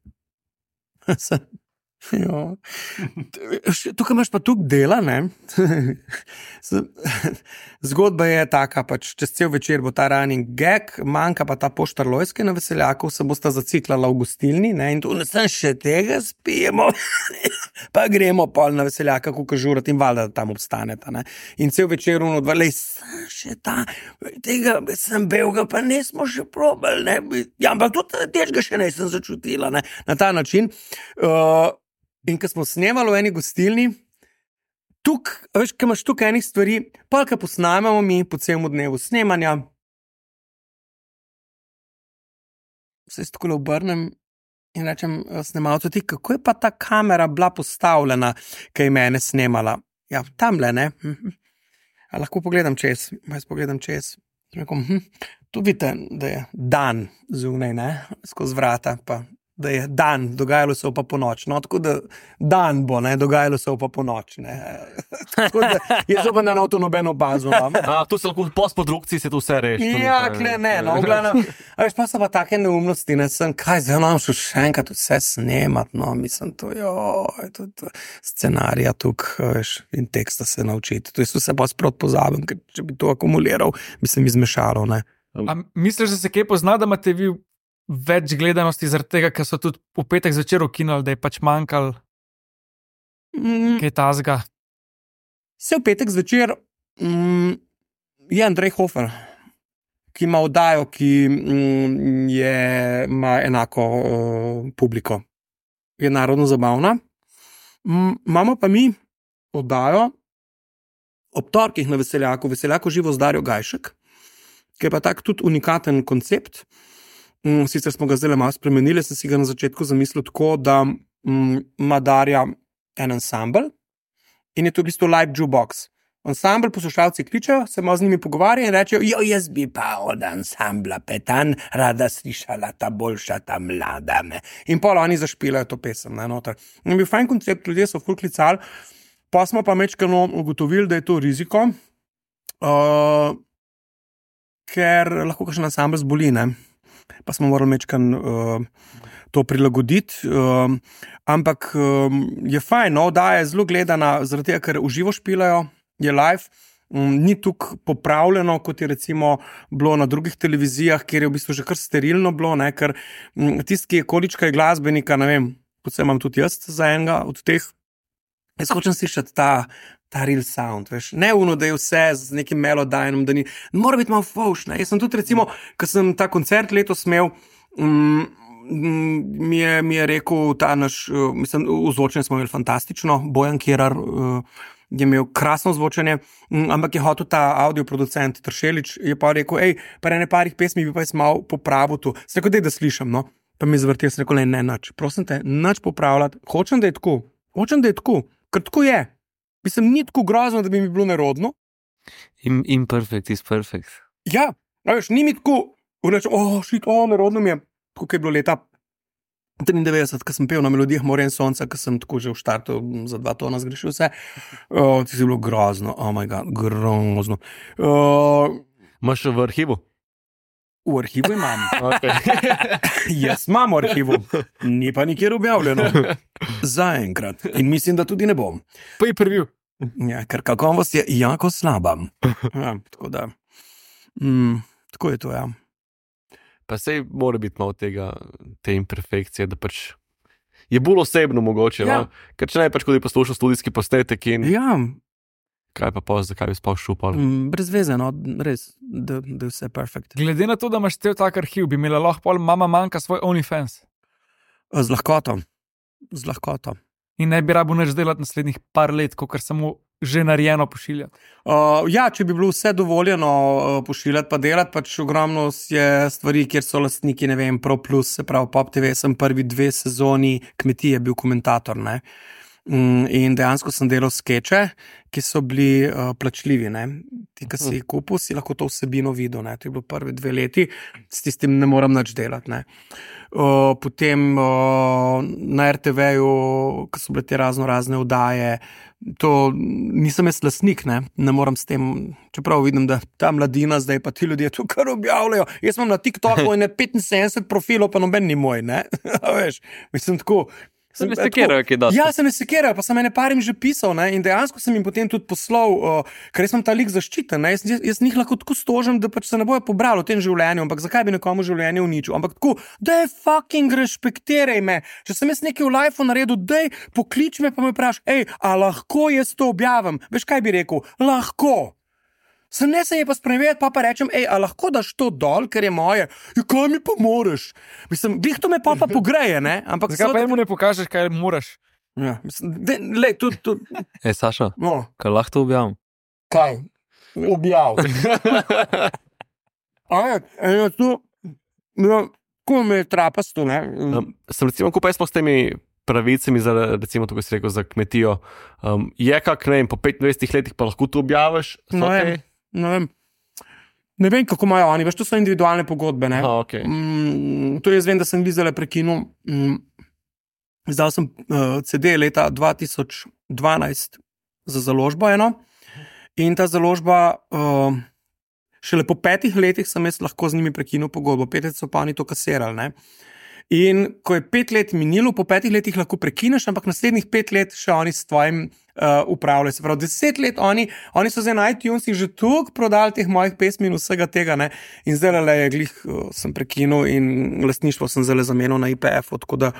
A: Tukaj imaš pa tukaj dela, ne? Zgodba je taka, pač čez cel večer bo ta running gag, manjka pa ta poštar Lojske na Veseljaku, se bosta zaciklala v gostilni, ne? In tu ne sem še tega spijemo, pa gremo pol na Veseljaka, kuka žurat in valjda tam obstaneta, ne? In cel večer uno dva, lej, sem še ta, tega sem belga, pa nismo še probali, ne? Ja, ampak tudi težga še nisem začutila, ne? Na ta način. Uh, In ko smo snemali v eni gostilni, tukaj, veš, ko imaš tukaj enih stvari, pa ko posnamemo mi po celem dnevu snemanja, se jaz tako obrnem in rečem snemalcu, ti, kako je pa ta kamera bila postavljena, ko je mene snemala? Ja, tamle, ne? A lahko pogledam čez, jaz pogledam čez. Rekom, hm, tu vidite, da je dan zunaj, ne? Skozi vrata, pa da je dan, dogajalo se pa po noč. No, tako da dan bo, ne, dogajalo se pa po noč. Ne. Tako da jaz pa na noto nobeno bazo imam.
C: A, tu se lahko v postprodukciji se to vse reši.
A: Ja, kle, ne, no, glavno. A veš, pa so pa take neumnosti, ne, sem, kaj, zdaj nam šel še enkrat vse snemat, no, mislim, to, joj, to, to, scenarija tukaj, veš, in teksta se naučiti. To je vse pa sprot pozabim, ker če bi to akumuliral, bi se mi zmešalo, ne.
E: A misliš, da se kaj pozna, da imate vi več gledanosti zaradi tega, ker so tudi v petek zvečer ukinuli, da je pač manjkal
A: Mm,
E: kaj tazga?
A: se v petek zvečer mm, je Andrej Hofer, ki ima oddajo, ki mm, je, ima enako uh, publiko. Je narodno zabavna. Mm, imamo pa mi oddajo ob torkih na Veseljaku, Veseljako živo z Darjo Gajšek, ki je pa tak tudi unikaten koncept. Mm, sicer smo ga zdaj malo spremenili, sem si ga na začetku zamislil tako, da mm, ima Darja en ansambl in je to v bistvu live jukebox. Ansambl poslušalci kličejo, se malo z njimi pogovarjajo in rečejo, jo, jaz bi pa od ansambla Petan rada slišala ta boljša, ta mlada. Ne? In pol oni zašpilajo to pesem. Ne, noter. In bil fajn koncept, ljudje so ful klicali, pa smo pa mečkano ugotovili, da je to riziko, uh, ker lahko kakšen ansambl zboli, ne? Pa smo morali mečkan uh, to prilagoditi, uh, ampak um, je fajn, no, da je zelo gledana, zaradi tega, ker uživo špilajo, je live, um, ni tukaj popravljeno, kot je recimo bilo na drugih televizijah, kjer je v bistvu že kar sterilno bilo, ne, ker um, tisti, ki je količka je glasbenika, ne vem, predvsem imam tudi jaz za enega od teh, jaz hočem slišati ta ta real sound, veš, ne uno, da je vse z nekim melodajnom, da ni, mora biti malo fauš, ne, jaz sem tudi recimo, ko sem ta koncert letos imel, um, mi, je, mi je rekel ta naš, uh, mislim, ozvočenje smo imeli fantastično, Bojan Kerar uh, je imel krasno ozvočenje, um, ampak je hotel ta audioproducent Tršelič, je pa rekel, ej, pa ene parih pesmi bi pa jaz malo popravil tu, sem rekel, dej, da slišam, no, pa mi je zavrtel, sem rekel, ne, ne, nač, prosim te, nač popravljati, hočem, da je tako, hočem, da je tako, ker tako je. Mislim, ni tako grozno, da bi mi bilo nerodno.
B: Im, imperfect is perfect.
A: Ja, veš, ni mi tako, reče, oh, šit, oh, nerodno mi je. Tako je bilo leta triindevetdeset, ko sem pel na melodijah Morja in sonca, ko sem tako že v štartu za dva tona zgrešil vse. Oh, ti si bilo grozno, oh my god, grozno. Uh,
C: Imaš v arhivu?
A: v arhivu imam.
C: Okay.
A: Jaz imam v arhivu, ni pa nikjer objavljeno. Zaenkrat. In mislim, da tudi ne bom.
E: Pa je prvi.
A: Ja, ker kakovost je jako slaba. Ja, tako da, mm, tako je to, ja.
C: Pa sej mora biti malo tega, te imperfekcije, da pač je bolj osebno mogoče,
A: Ja.
C: no? Ker če ne pač, ko bi poslušal studijski posnetek in
A: Ja,
C: kaj pa pa, zakaj bi spal šupal.
A: mm, brez veze, no, res, da, da je vse perfekt.
E: Glede na to, da imaš cel tak arhiv, bi imela lahko pol mama manjka svoj OnlyFans
A: Z lahkoto, z lahkoto.
E: in ne bi rabo nič delati naslednjih par let, kot samo že narejeno pošiljati.
A: Uh, ja, če bi bilo vse dovoljeno uh, pošiljati pa delati, pač ogromno je stvari, kjer so lastniki, ne vem, Pro Plus, se pravi Pop T V, sem prvi dve sezoni Kmetije bil komentator, ne. In dejansko sem delal skeče, ki so bili uh, plačljivi. Ne? Ti, ki si jih kupil, si lahko to vsebino videl. Ne? To je bilo prvi dve leti, s tistim ne moram nič delati. Ne? Uh, potem uh, na er te veju, ko so bile te razno razne oddaje, to nisem jaz lastnik, ne? Ne moram s tem, čeprav vidim, da ta mladina zdaj pa ti ljudje to kar objavljajo. Jaz imam na TikToku in petinsedemdeset profilov, pa noben ni moj, ne? Veš, mislim tako.
B: Se ne sekirajo, ki da.
A: Ja, se ne sekirajo, pa sem ene parim že pisal, ne, in dejansko sem jim potem tudi poslal, uh, ker sem ta lik zaščiten, ne, jaz, jaz njih lahko tako stožim, da pač se ne bojo pobrali v tem življenju, ampak zakaj bi nekomu življenje uničil, ampak tako, daj fucking respektiraj me, če sem jaz nekaj v lifeu naredil, daj poklič me pa me vpraš, ej, a lahko jaz to objavim, veš kaj bi rekel, lahko. Sem ne se je pa spremeniti, pa pa rečem, ej, a lahko daš to dol, ker je moje, ja, kaj mi pa moraš? Mislim, glih to me pa pa pogreje, ne? Ampak
E: zakaj pa jemu ne pokažeš, kaj moraš?
A: Ja, mislim, de, lej, tudi, tudi.
B: Ej, Saša,
A: No,
B: kaj lahko to objavim?
A: kaj? Objav. A je, eno tu, no, ko me je trapasto, ne?
C: Um, sem recimo, ko pa smo s temi pravicami za, recimo, to, ko si rekel, za kmetijo, um, je kak, ne vem, po petindvajsetih letih pa lahko to objaviš? So
A: No,
C: te-
A: vem, ne vem. Ne vem, kako imajo oni, veš, to so individualne pogodbe, ne?
C: Aha, okej.
A: Mm, to jaz vem, da sem vizele prekinul. Mm, izdal sem uh, ce de leta dva tisoč dvanajst za založbo eno in ta založba, uh, šele po petih letih sem jaz lahko z njimi prekinul pogodbo, pet let so pa oni to kasirali, ne. In ko je pet let minilo, po petih letih lahko prekineš, ampak naslednjih pet let še oni s tvojim uh, upravljajo. Se pravi, deset let oni, oni so zdaj na iTunesih že toliko prodali teh mojih pesmi in vsega tega, ne. In zdaj le je glih, uh, sem prekinul in lastništvo sem zdaj zamenil na I P F, tako da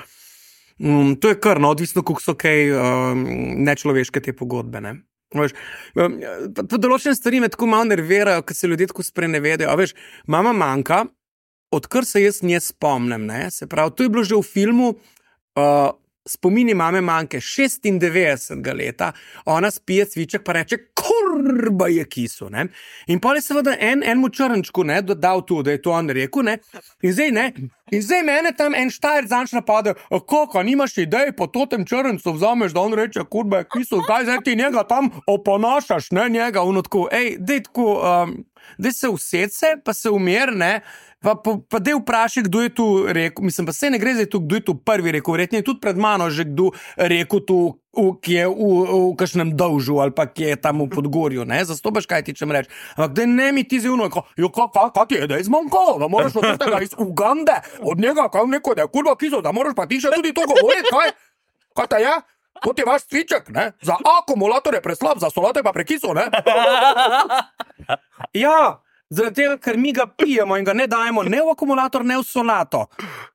A: um, to je kar, no, odvisno, koliko so kaj um, nečloveške te pogodbe, ne. Veš, um, pa, pa določene stvari me tako malo nervirajo, ker se ljudje tako sprenevedajo. A veš, mama manjka, odkar se jaz nje spomnim, ne, se pravi, to je bilo že v filmu uh, Spomini mame manjke šestindevetdesetega leta, ona spije cviček pa reče, kurba je kisu, ne, in pol je seveda en, enmu črnčku, ne, dodal tu, da je to on rekel, ne, in zdaj, ne, in zdaj mene tam en štajer zanč napade, kako, nimaš idej, po totem črncu vzameš, da on reče, kurba je kisu, kaj zdaj ti njega tam oponašaš, ne, njega, ono tako, ej, dej tako, um, dej se used se, pa se umir, ne, Pa, pa, pa dej vprašaj, kdo je tu rekel, mislim, pa se ne gre zdaj tu, kdo je tu prvi rekel, verjetno je tudi pred mano že kdo rekel tu, v, ki je v, v kakšnem dolžu ali pa ki je tam v Podgorju, ne, zastopaš, kaj ti čem reči. Ampak da ne mi ti zivno, jo, kaj, kaj, kaj ti je, da je zmanjkalo, da moraš od tega iz Ugande, od njega, kaj neko, da je kurva kiso, da moraš pa ti še tudi to govoriti, kaj, kaj ta je? To ti je vaš cviček, ne, za akumulator je preslab, za solate pa prekiso, ne. Ja. Zaradi tega, ker mi ga pijemo in ga ne dajemo ne v akumulator, ne v solato.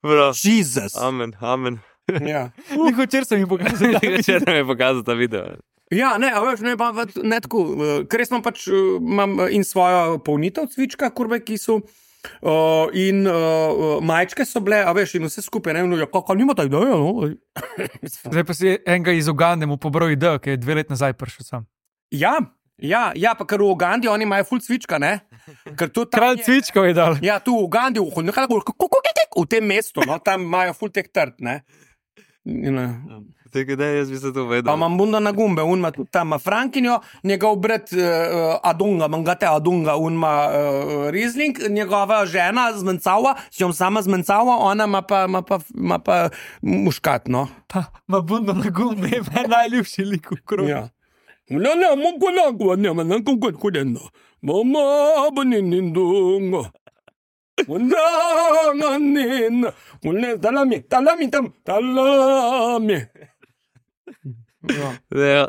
B: Bro.
A: Jezus.
B: Amen, amen.
A: Ja,
E: Njih včeraj sem jim pokazal.
B: Če nam je pokazal ta video.
A: ja ne, a veš, ne, pa, ne tako, eh, ker jaz imam pač eh, imam eh, in svojo polnitev cvička, kurve, ki so uh, in uh, majčke so bile, a veš, in vse skupaj, ne, no, ja, kako nima ta ideja, no.
E: Zdaj pa si enega iz Ugande mu pobral idejo, ki je dve let nazaj prišel sam.
A: Ja, ja, ja, pa ker v Ugandi oni imajo ful cvička, ne. Ker to tam
E: Kralj
A: je-
E: cvičkov je dal.
A: Ja, tu v Ugandi, v, v tem mestu, no, tam imajo ful tek trd, ne. In, eh,
B: Tega, da jaz bi se to vedel.
A: Pa imam bunda na gumbe, un ima tudi tam ima Frankinjo, njegov brat uh, Adunga, mangate Adunga, un ima uh, Riesling, njegova žena zmencava, s jom sama zmencava, ona ima pa, ima pa, ima pa muškat, no.
E: Pa ima bundo na gumbi, meni najljubši lik v krogu.
A: Ja. Ne, ne, mogo nago, ne, ne, ne, kako hodeno. Mama, baninindungo. Undanganin, unne, talami, talami tam, talami. Ja.
B: Ja,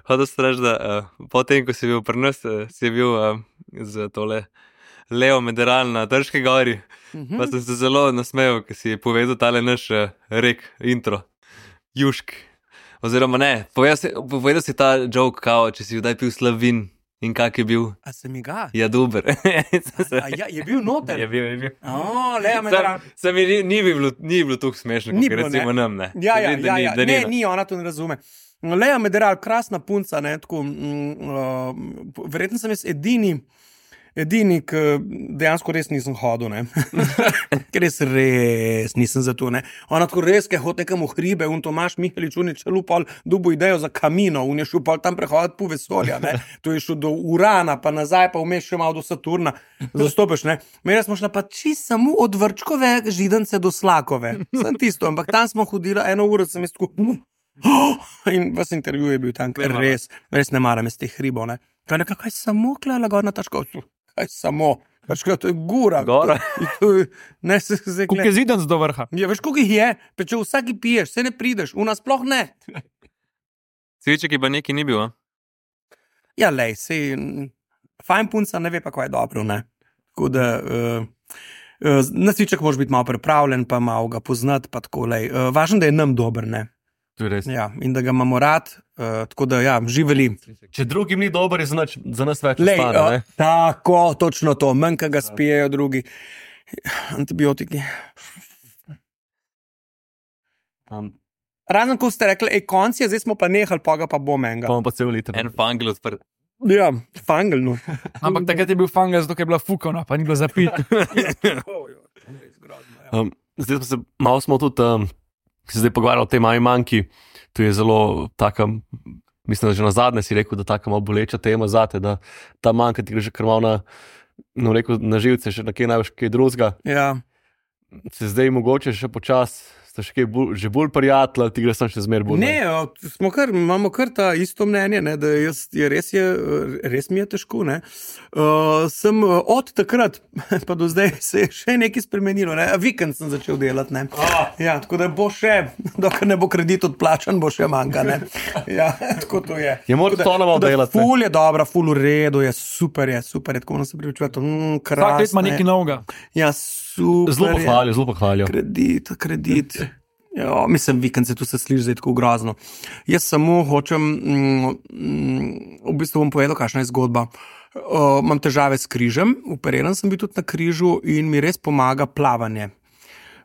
B: hotel sem reči, da uh, potem, ko si bil pri nas, uh, si bil uh, z tole Leo Mederal na Trški gori,
A: Mhm.
B: pa sem se zelo nasmejal, ker si povedal tale naš uh, rek, intro, Jušk. Oziroma ne, povedal si, povedal si ta joke, kao, če si kdaj pil slavin in kak je bil,
A: A se mi ga?
B: ja, dober.
A: A ja, je bil noter?
B: Je bil, je bil.
A: O, le, me
B: Sam,
A: dra.
B: sam mi ni, ni bi bilo, ni bilo tako smešno,
A: Ni
B: kot
A: bilo,
B: recimo
A: ne?
B: nam, ne.
A: Ja, ja,
B: Vem, da
A: ja,
B: ni-
A: ja.
B: da
A: Ne,
B: no.
A: ni, ona to ne razume. Leja Mederal, krasna punca, ne, tako, mm, uh, verjetno sem jaz edini, Edini, ki dejansko res nisem hodil, ne. Ker res, res nisem za to, ne. Ona tako res, ki hod nekam v hribe, un Tomaš Mihalič, un je čelu pol dubo idejo za kamino, un je šel pol tam prehoditi po vesolja, ne. To je šel do Urana, pa nazaj, pa vmes še malo do Saturna. Zastopiš, ne. Mene smo šla pa čisto samo od Vrčkove židance do Slakove. Sem tisto, ampak tam smo hodila eno uro, sem jaz tako... In vas intervju je bil tam, ker res, res ne maram iz teh hribov, ne. Kaj nekaj, kaj samo klala gor na Taškovcu? Kaj samo? Veš, kaj, to je gora.
B: Gora.
A: To je, ne, se, se,
E: Koliko je zidanc do vrha?
A: Ja, veš, koliko jih je? Pa če vsaki piješ, se ne prideš, u nas sploh ne.
B: Cviček je pa neki ni bil, a?
A: Ja, lej, sej, fajn punca ne ve pa, kaj je dobro, ne. Tako da, uh, uh, na cviček moraš biti malo pripravljen, pa malo ga poznati, pa tako, lej. Uh, važno, da je nam dober, ne.
C: To je res.
A: Ja, in da ga imamo rad, uh, tako da, ja, živeli.
C: Če drugim ni dober, je za, nač, za nas več
A: Lej,
C: ostane, ne?
A: uh, tako, točno to, manj, ka ga spijejo drugi. Antibiotiki.
C: Um,
A: Razen, ko ste rekli, ej, konci je, zdaj smo pa nehali, pa ga pa bom enega.
C: pa imam pa cel liter.
B: En fangel odprt.
A: Ja, fangel, no.
E: Ampak takrat je bil fangel, zato ker je bila fukana, pa ni bilo zapit.
C: Um, zdaj smo se, malo smo tudi um, se zdaj pogovarjali o tej mami manjki. To je zelo taka, mislim, da že na zadnje si rekel, da taka malo boleča tema zate, da ta manjka ti gre že kar malo na, no, rekel, na živce, še nekaj največ kaj drugega.
A: Ja.
C: Se zdaj mogoče še počas, ste še kaj bolj, že bolj prijatelj, ti gre sam še zmer bolj.
A: Ne, o, smo kar, imamo kar ta isto mnenje, ne, da jaz, je, res, je, res mi je težko. Ne. Uh, sem od takrat pa do zdaj se je še nekaj spremenilo. Ne. Vikend sem začel delati. Ne.
C: Ah.
A: Ja, tako da bo še, dokler ne bo kredit odplačan, bo še manjka. Ne. Ja, tako to je.
C: Je moraš to nama delati.
A: Ful je dobra, ful v redu, je super, je super, je tako nam se pripričuje. Mm,
E: Vsak let ima nekaj novega.
A: Ja, super.
C: Zelo
A: je.
C: pohvalijo, zelo pohvalijo.
A: Kredit, kredit. Jo, mislim, vikend se tu se sliši zdaj tako grozno. Jaz samo hočem, mm, mm, v bistvu bom povedal, kakšna je zgodba. Uh, imam težave s križem, operiran sem bil tudi na križu in mi res pomaga plavanje.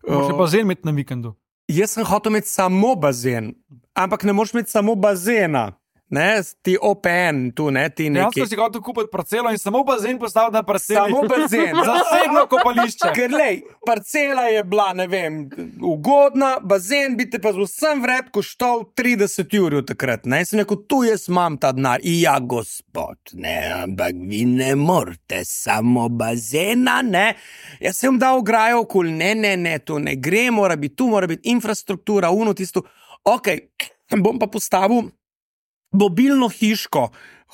E: Moraš
A: Uh,
E: bazen imeti na vikendu.
A: jaz sem hotel imeti samo bazen, ampak ne moreš imeti samo bazena. Ne, ti O P N, tu ne, ti neki.
E: Dejansko si hotel kupiti parcelo in samo bazen postaviti na parceli.
A: Samo bazen.
E: Zasebno kopališče.
A: Ker lej, parcela je bila, ne vem, ugodna, bazen bi te pa z vsem vred koštal trideset jurjev takrat, ne, sem rekel, tu jaz imam ta denar. Ja, gospod, ne, ampak vi ne morate samo bazena, ne, jaz sem dal ograjo okoli, ne, ne, ne, to ne gre, mora biti tu, mora biti infrastruktura, uno tisto, ok, bom pa postavil mobilno hiško,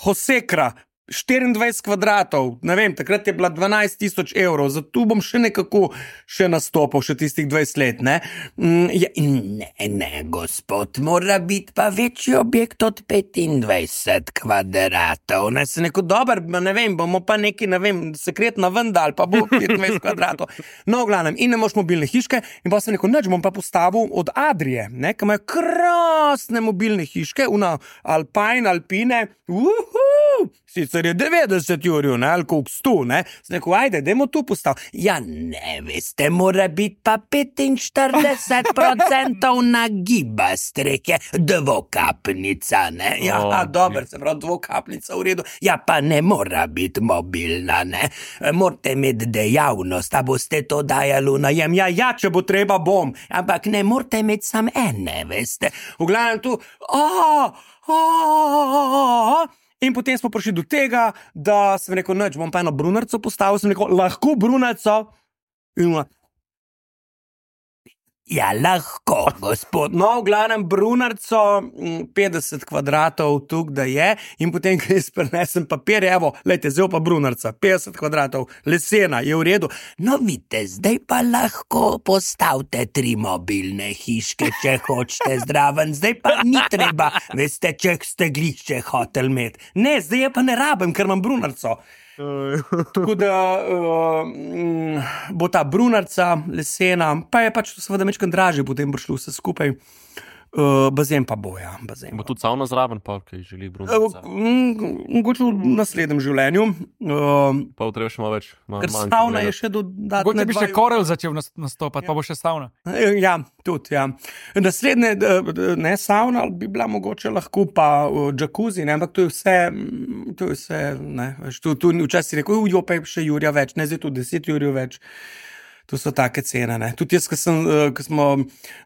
A: Hosekra, štiriindvajset kvadratov, ne vem, takrat je bila dvanajst tisoč evrov, zato bom še nekako še nastopil, še tistih dvajset let, ne. Mm, ja, ne, ne, gospod, mora biti pa večji objekt od petindvajset kvadratov, ne, se neko dober, ne vem, bomo pa neki, ne vem, sekretna vendal, pa bo petindvajset kvadratov. No, v glavnem, in ne moš mobilne hiške, in pa sem rekel, neč bom pa postavil od Adrije, ne, ki imajo krasne mobilne hiške, una Alpine, Alpine, uhu, sicer je devetdeset jurjev, ne, ali koliko sto, ne, sem rekel, ajde, dajmo tu postaviti. Ja, ne, veste, mora biti pa petinštirideset procentov nagiba streke, dvokapnica, ne, ja,
C: O,
A: a, dober, se pravi, dvokapnica v redu, ja, pa ne mora biti mobilna, ne, morate imeti dejavnost, a boste to dajali v najem, ja, ja, če bo treba, bom, ampak ne morate imeti sam ene, veste, v glavnem tu, aaa, aaa, in potem smo prišli do tega, da sem rekel, neč, bom pa eno brunarco postavil, sem rekel, lahko brunarco, in ona, ja, lahko, gospod. No, v glavnem brunarco, mm, petdeset kvadratov tuk, da je, in potem, ko jaz prinesem papir, evo, lejte, zdaj pa brunarca, petdeset kvadratov, lesena, je v redu. No, vidite, zdaj pa lahko postavite tri mobilne hiške, če hočete zdraven, zdaj pa ni treba, veste, če ste glišče hotel imeti. Ne, zdaj je pa ne rabim, ker imam brunarco. Tako da uh, bo ta brunarca lesena, pa je pač seveda mečkam dražje, potem bo šlo vse skupaj. Uh, bazen pa bo, ja. Bazen
C: Bo
A: pa.
C: tudi savna zraven, pa kaj želi
A: Uh,
C: brunca.
A: m, Mogoče v naslednjem življenju. Uh,
C: Pa treba še malo več. Ma,
A: ker
C: manjka
A: savna je
C: gledati.
A: še dodatna.
E: Mogoče bi še Korel začel nas- nastopati, pa bo še savna.
A: Ja, tudi. Ja. Naslednje, d- d- ne savna, bi bila mogoče lahko pa uh, jacuzzi, ne, ampak to je vse. mm, To je vse ne, veš, tu, tu včasih si rekel, jo pa je še Jurja več, ne zdaj tu deset Jurjev več. To so take cene. Ne. Tudi jaz, ko sem, uh, ko smo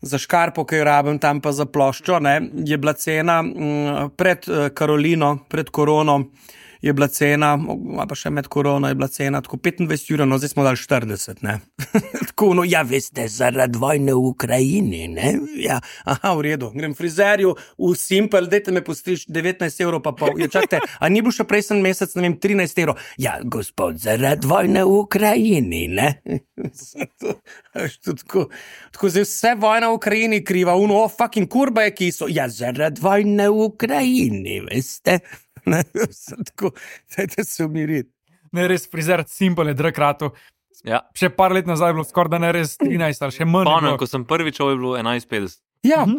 A: za škarpo, ki jo rabim tam pa za ploščo, ne, je bila cena mm, pred uh, Karolino, pred korono. Je bila cena, ali pa še med korono je bila cena, tako petindvajset jurov, no zdaj smo dali štirideset, ne. Tako, no, ja, veste, zaradi vojne v Ukrajini, ne. Ja, aha, v redu, grem frizerju v Simple, dajte me postrič devetnajst evrov pa pol. Ja, čakajte, a ni bil še prejsen mesec, ne vem, trinajst evrov. Ja, gospod, zaradi vojne v Ukrajini, ne. To, veš, to tako, tako zdaj vse vojna v Ukrajini kriva, uno, oh, fucking kurba je kiso. Ja, zaradi vojne v Ukrajini, veste. Ne, vse tako, dajte se umiriti.
E: Ne, res frizer Simple je drag ratu.
B: Ja.
E: Še par let nazaj je bilo skoraj da ne res trinajst ali še manj. je
B: Spomnim,
E: bilo.
B: ko sem prvič šel, je bilo enajst petdeset.
A: Ja,
E: Mhm.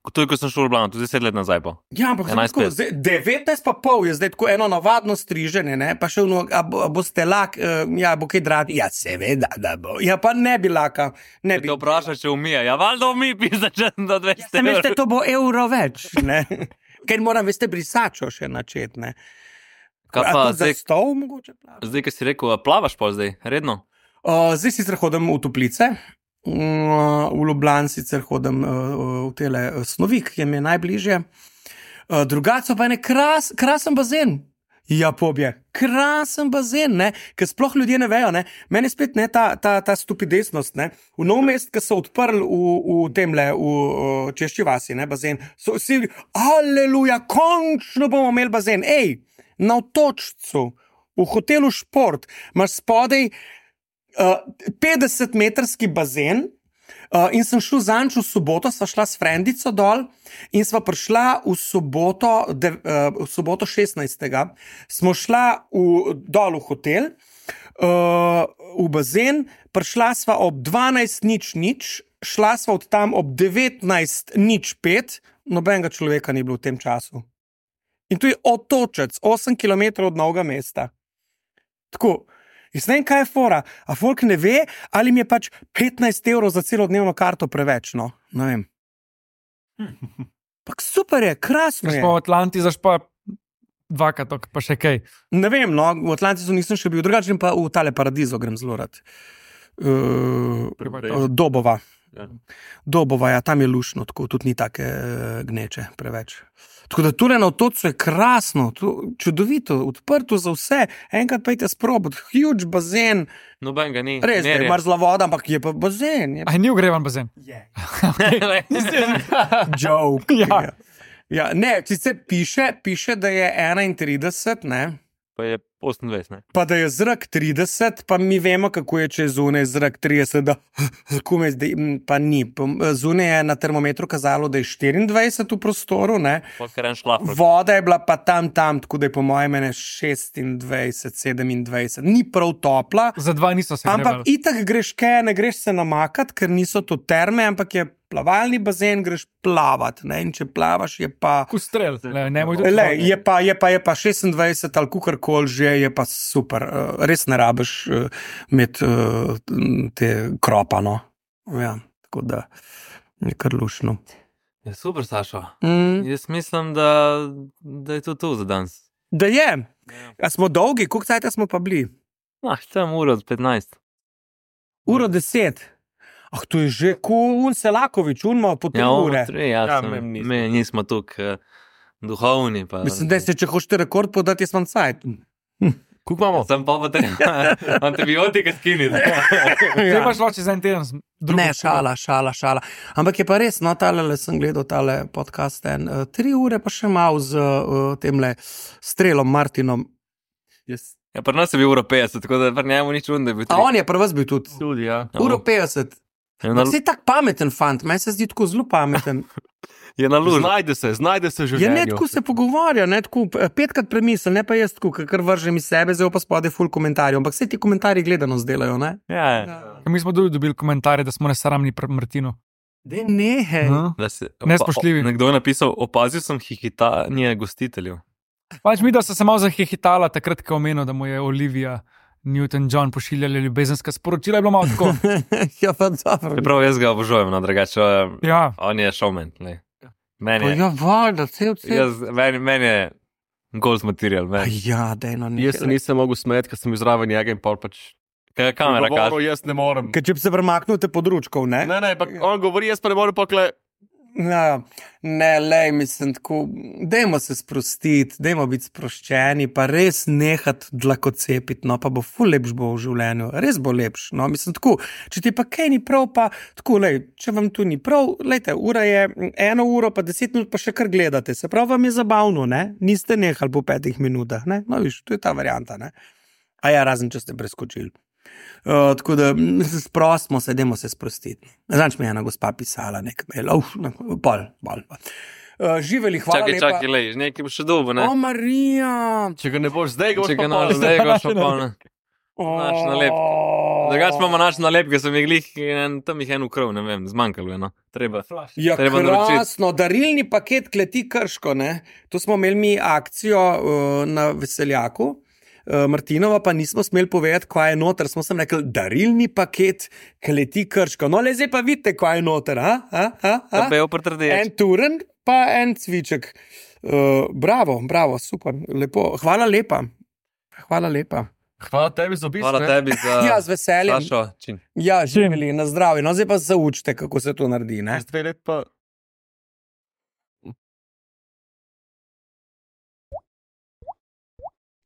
B: To je, ko sem šel v Ljubljano, tudi deset let nazaj pa.
A: ja, ampak zdaj
B: enajst
A: tako,
B: pet.
A: zdaj, devetnajst pa pol je zdaj tako eno navadno striženje, ne, pa še ono, a, bo, a boste lak, uh, ja, bo kaj dragi. Ja, seveda, da bo. Ja, pa ne bi laka, ne bi.
B: Te vprašaš, če umije. Ja, valjda umi, pisa, če sem do
A: Ja,
B: dvesto
A: sem, veste,
B: evrov.
A: to bo evro več, ne. Ker moram, veste, brisačo še načeti, ne.
B: Kaj
A: A
B: pa
A: tudi za
B: zdaj,
A: stol mogoče plačati?
B: zdaj, ki si rekel, a plavaš pa zdaj, redno?
A: Uh, zdaj sicer hodim v toplice, uh, v Ljubljani sicer hodim uh, v tele uh, Snovik, ki mi je najbližje. Uh, drugače pa je kras, krasen bazen. Ja, pobje, krasen bazen, ne, ker sploh ljudje ne vejo, ne. Meni spet ne ta, ta, ta stupidesnost, ne. V Nov mest, ki so odprli v, v temle, v, v Češči vasi, ne, bazen, so vsi, aleluja, končno bomo imeli bazen. Ej, na Otočcu, v hotelu Šport, imaš spodaj uh, petdesetmetrski bazen. Uh, in sem šel zanč v soboto, sva šla s frendico dol in sva prišla v soboto, de, uh, v soboto šestnajstega smo šla v, dol v hotel, uh, v bazen, prišla sva ob dvanajst nič nič, šla sva od tam ob devetnajst nič pet, nobenega človeka ni bilo v tem času. In tu je Otočec, osem kilometrov od Novega mesta. Tako. Jaz ne vem, kaj je fora. A folk ne ve, ali mi je pač petnajst evrov za celodnevno karto preveč. No, ne vem. Pak super je, krasno
E: Ker
A: je.
E: smo v Atlanti, zaš pa dvakrat, tok, pa še kaj.
A: Ne vem, no, v Atlantisu nisem še bil, drugače pa v tale paradizo grem zelo rad. Uh,
E: Privatno.
A: Dobova.
C: Ja.
A: Dobova, ja, tam je lušno, tako tudi ni take uh, gneče preveč. Tako da tule na Otočcu je krasno, tu, čudovito, odprto za vse. Enkrat pejte sprobati, huge bazen,
B: Noben ga ni.
A: res je,
B: Mer je.
A: mrzla voda, ampak je pa bazen. Je
E: Aj, ni ogrevan bazen.
A: je.
B: Ja.
A: Joke.
E: Ja.
A: Ja, ne, sicer piše, piše, da je enaintrideset, ne,
B: Pa je osemindvajset, ne?
A: pa da je zrak trideset, pa mi vemo, kako je, če je zunaj zrak trideset, da kume zdaj, m, pa ni. Pa zunaj je na termometru kazalo, da je štiriindvajset v prostoru, ne.
B: Pa kar en šlaf.
A: Voda je bila pa tam, tam, tako da je po mojem mene šestindvajset, sedemindvajset. Ni prav topla,
E: Za dva niso se
A: ampak
E: grevali.
A: itak greš kaj, ne greš se namakat, ker niso to terme, ampak je plavalni bazen, greš plavat, ne, in če plavaš, je pa.
E: Kustrel, le, ne moj tudi.
A: Le, je pa, je pa, je pa šestindvajset ali kukorkoli že, je pa super. Uh, res ne rabiš uh, imeti uh, te kropano. Ja, tako da je kar lušno.
B: Je super, Sašo.
A: Mm,
B: Jaz mislim, da, da je to to za danes.
A: da je. A smo dolgi, koliko cajta smo pa bili?
B: Ah, tam uro od petnajst.
A: Uro deset. Ah, to je že kot un Selakovič, un malo po tri
B: Ja,
A: ure.
B: ure. Tri, ja,
C: Ja,
B: sem,
C: me nismo.
B: mi nismo tukaj uh, duhovni. Pa,
A: Mislim, da se če hočete rekord podati, jaz imam cajt.
C: Kuk imamo?
B: Sem pa potreben antibiotike skiniti.
E: Zdaj pa šlo čez en teden. z drugo
A: Ne,
E: šolo.
A: šala, šala, šala. Ampak je pa res, no, tale le sem gledal tale podcast en, uh, tri ure pa še mal z uh, temle strelom Martinom.
C: Jaz
B: Ja, pri nas je bil uro petdeset, tako da pri njemu ni čudno, da je bil
A: A
B: tri.
A: on je pri vas bil tudi.
C: tudi, ja.
A: Uro petdeset.
B: Je na,
A: Vsi tak pameten fant, meni se zdi tako zelo pameten.
B: je na luž.
C: Znajde se, znajde se že.
A: Je ne tako se pogovarja, ne tako eh, petkrat premisel, ne pa jaz tako, kar vržem iz sebe, zdaj pa spode full komentarjev. Ampak vse ti komentarji gledano zdelajo, ne?
B: Ja, ja.
E: Mi smo tudi dobili komentarje, da smo nesramni pri Martinu.
A: Dej nehej.
E: No.
B: Da si-
E: Nespoštljivi.
B: o- Nekdo je napisal, opazil sem hihitanje gostiteljev.
E: Pač mi, da so se malo zahihitala takrat, ko je omenil, da mu je Olivia Newton-John pošiljala ljubezenska sporočila, je bilo malo tako.
A: Ja, pa dobro.
B: Čeprav jaz ga obožujem, no, drugače, eh,
E: Ja,
B: on je showman. lej.
A: Pa
B: Meni je,
A: ja, voda, cel cel.
B: jaz, meni, meni je gold material.
A: Pa
B: Meni.
A: ja, dej no
C: Jaz se
A: nehej.
C: nisem mogel smeti, ker sem bil zraven njega in pol pač.
B: Kaj je kamera kaže?
C: Govoril, jaz ne morem.
A: Ker če bi se premaknil pod ručkov, ne?
C: Ne, ne, pa on govori, jaz pa ne morem pokle.
A: Ja, ne, lej, mislim, tako, dajmo se sprostiti, dajmo biti sproščeni, pa res nehati dlakocepiti, no, pa bo ful lepš bo v življenju, res bo lepš, no, mislim, tako, če ti pa kaj ni prav, pa tako, lej, če vam tu ni prav, lejte, ura je eno uro, pa deset minut, pa še kar gledate, se pravi, vam je zabavno, ne, niste nehali po petih minutah, ne, no, viš, to je ta varianta, ne, a ja, razen, če ste preskočili. Uh, tako da sprostimo se, dajmo se sprostiti. Zanč mi je ena gospa pisala, nek mail, uf, ne, pol, pol. pol. Uh, živeli, hvala
B: Čakaj,
A: lepa.
B: čakaj, lej, nekaj bo še dolgo, ne?
A: O, Marija!
C: Če ga ne boš zdaj, ga boš
B: Če ga
C: pa
B: naš
C: pol.
B: zdaj, ga še pa ne.
A: O,
B: Naš nalepke. Drugače imamo naš nalepke, sem jih glih, en- tam jih en ukrov, ne vem, zmanjkalo je, no. Treba.
A: Ja,
B: Treba naročiti.
A: krasno, darilni paket kleti Krško, ne? To smo imeli mi akcijo uh, na Veseljaku. Uh, Martinova pa nismo smeli povedati, kaj je noter. Smo sem rekli, darilni paket kleti Krško. No, le zdaj pa vidite, kaj je noter. A? A? A? A?
B: Da bejo pretrdeč.
A: En turen, pa en cviček. Uh, bravo, bravo, super, lepo. Hvala lepa. Hvala lepa.
C: Hvala tebi za obisk.
B: Hvala
C: ne.
B: tebi za...
A: Ja, z veseljem.
B: Sašo, čin.
A: Ja, živeli na zdravje. No, zdaj pa se učite, kako se to naredi. Ne?
C: Čez dve let pa.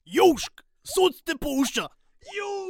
D: Južk, sod te pušča. Južk.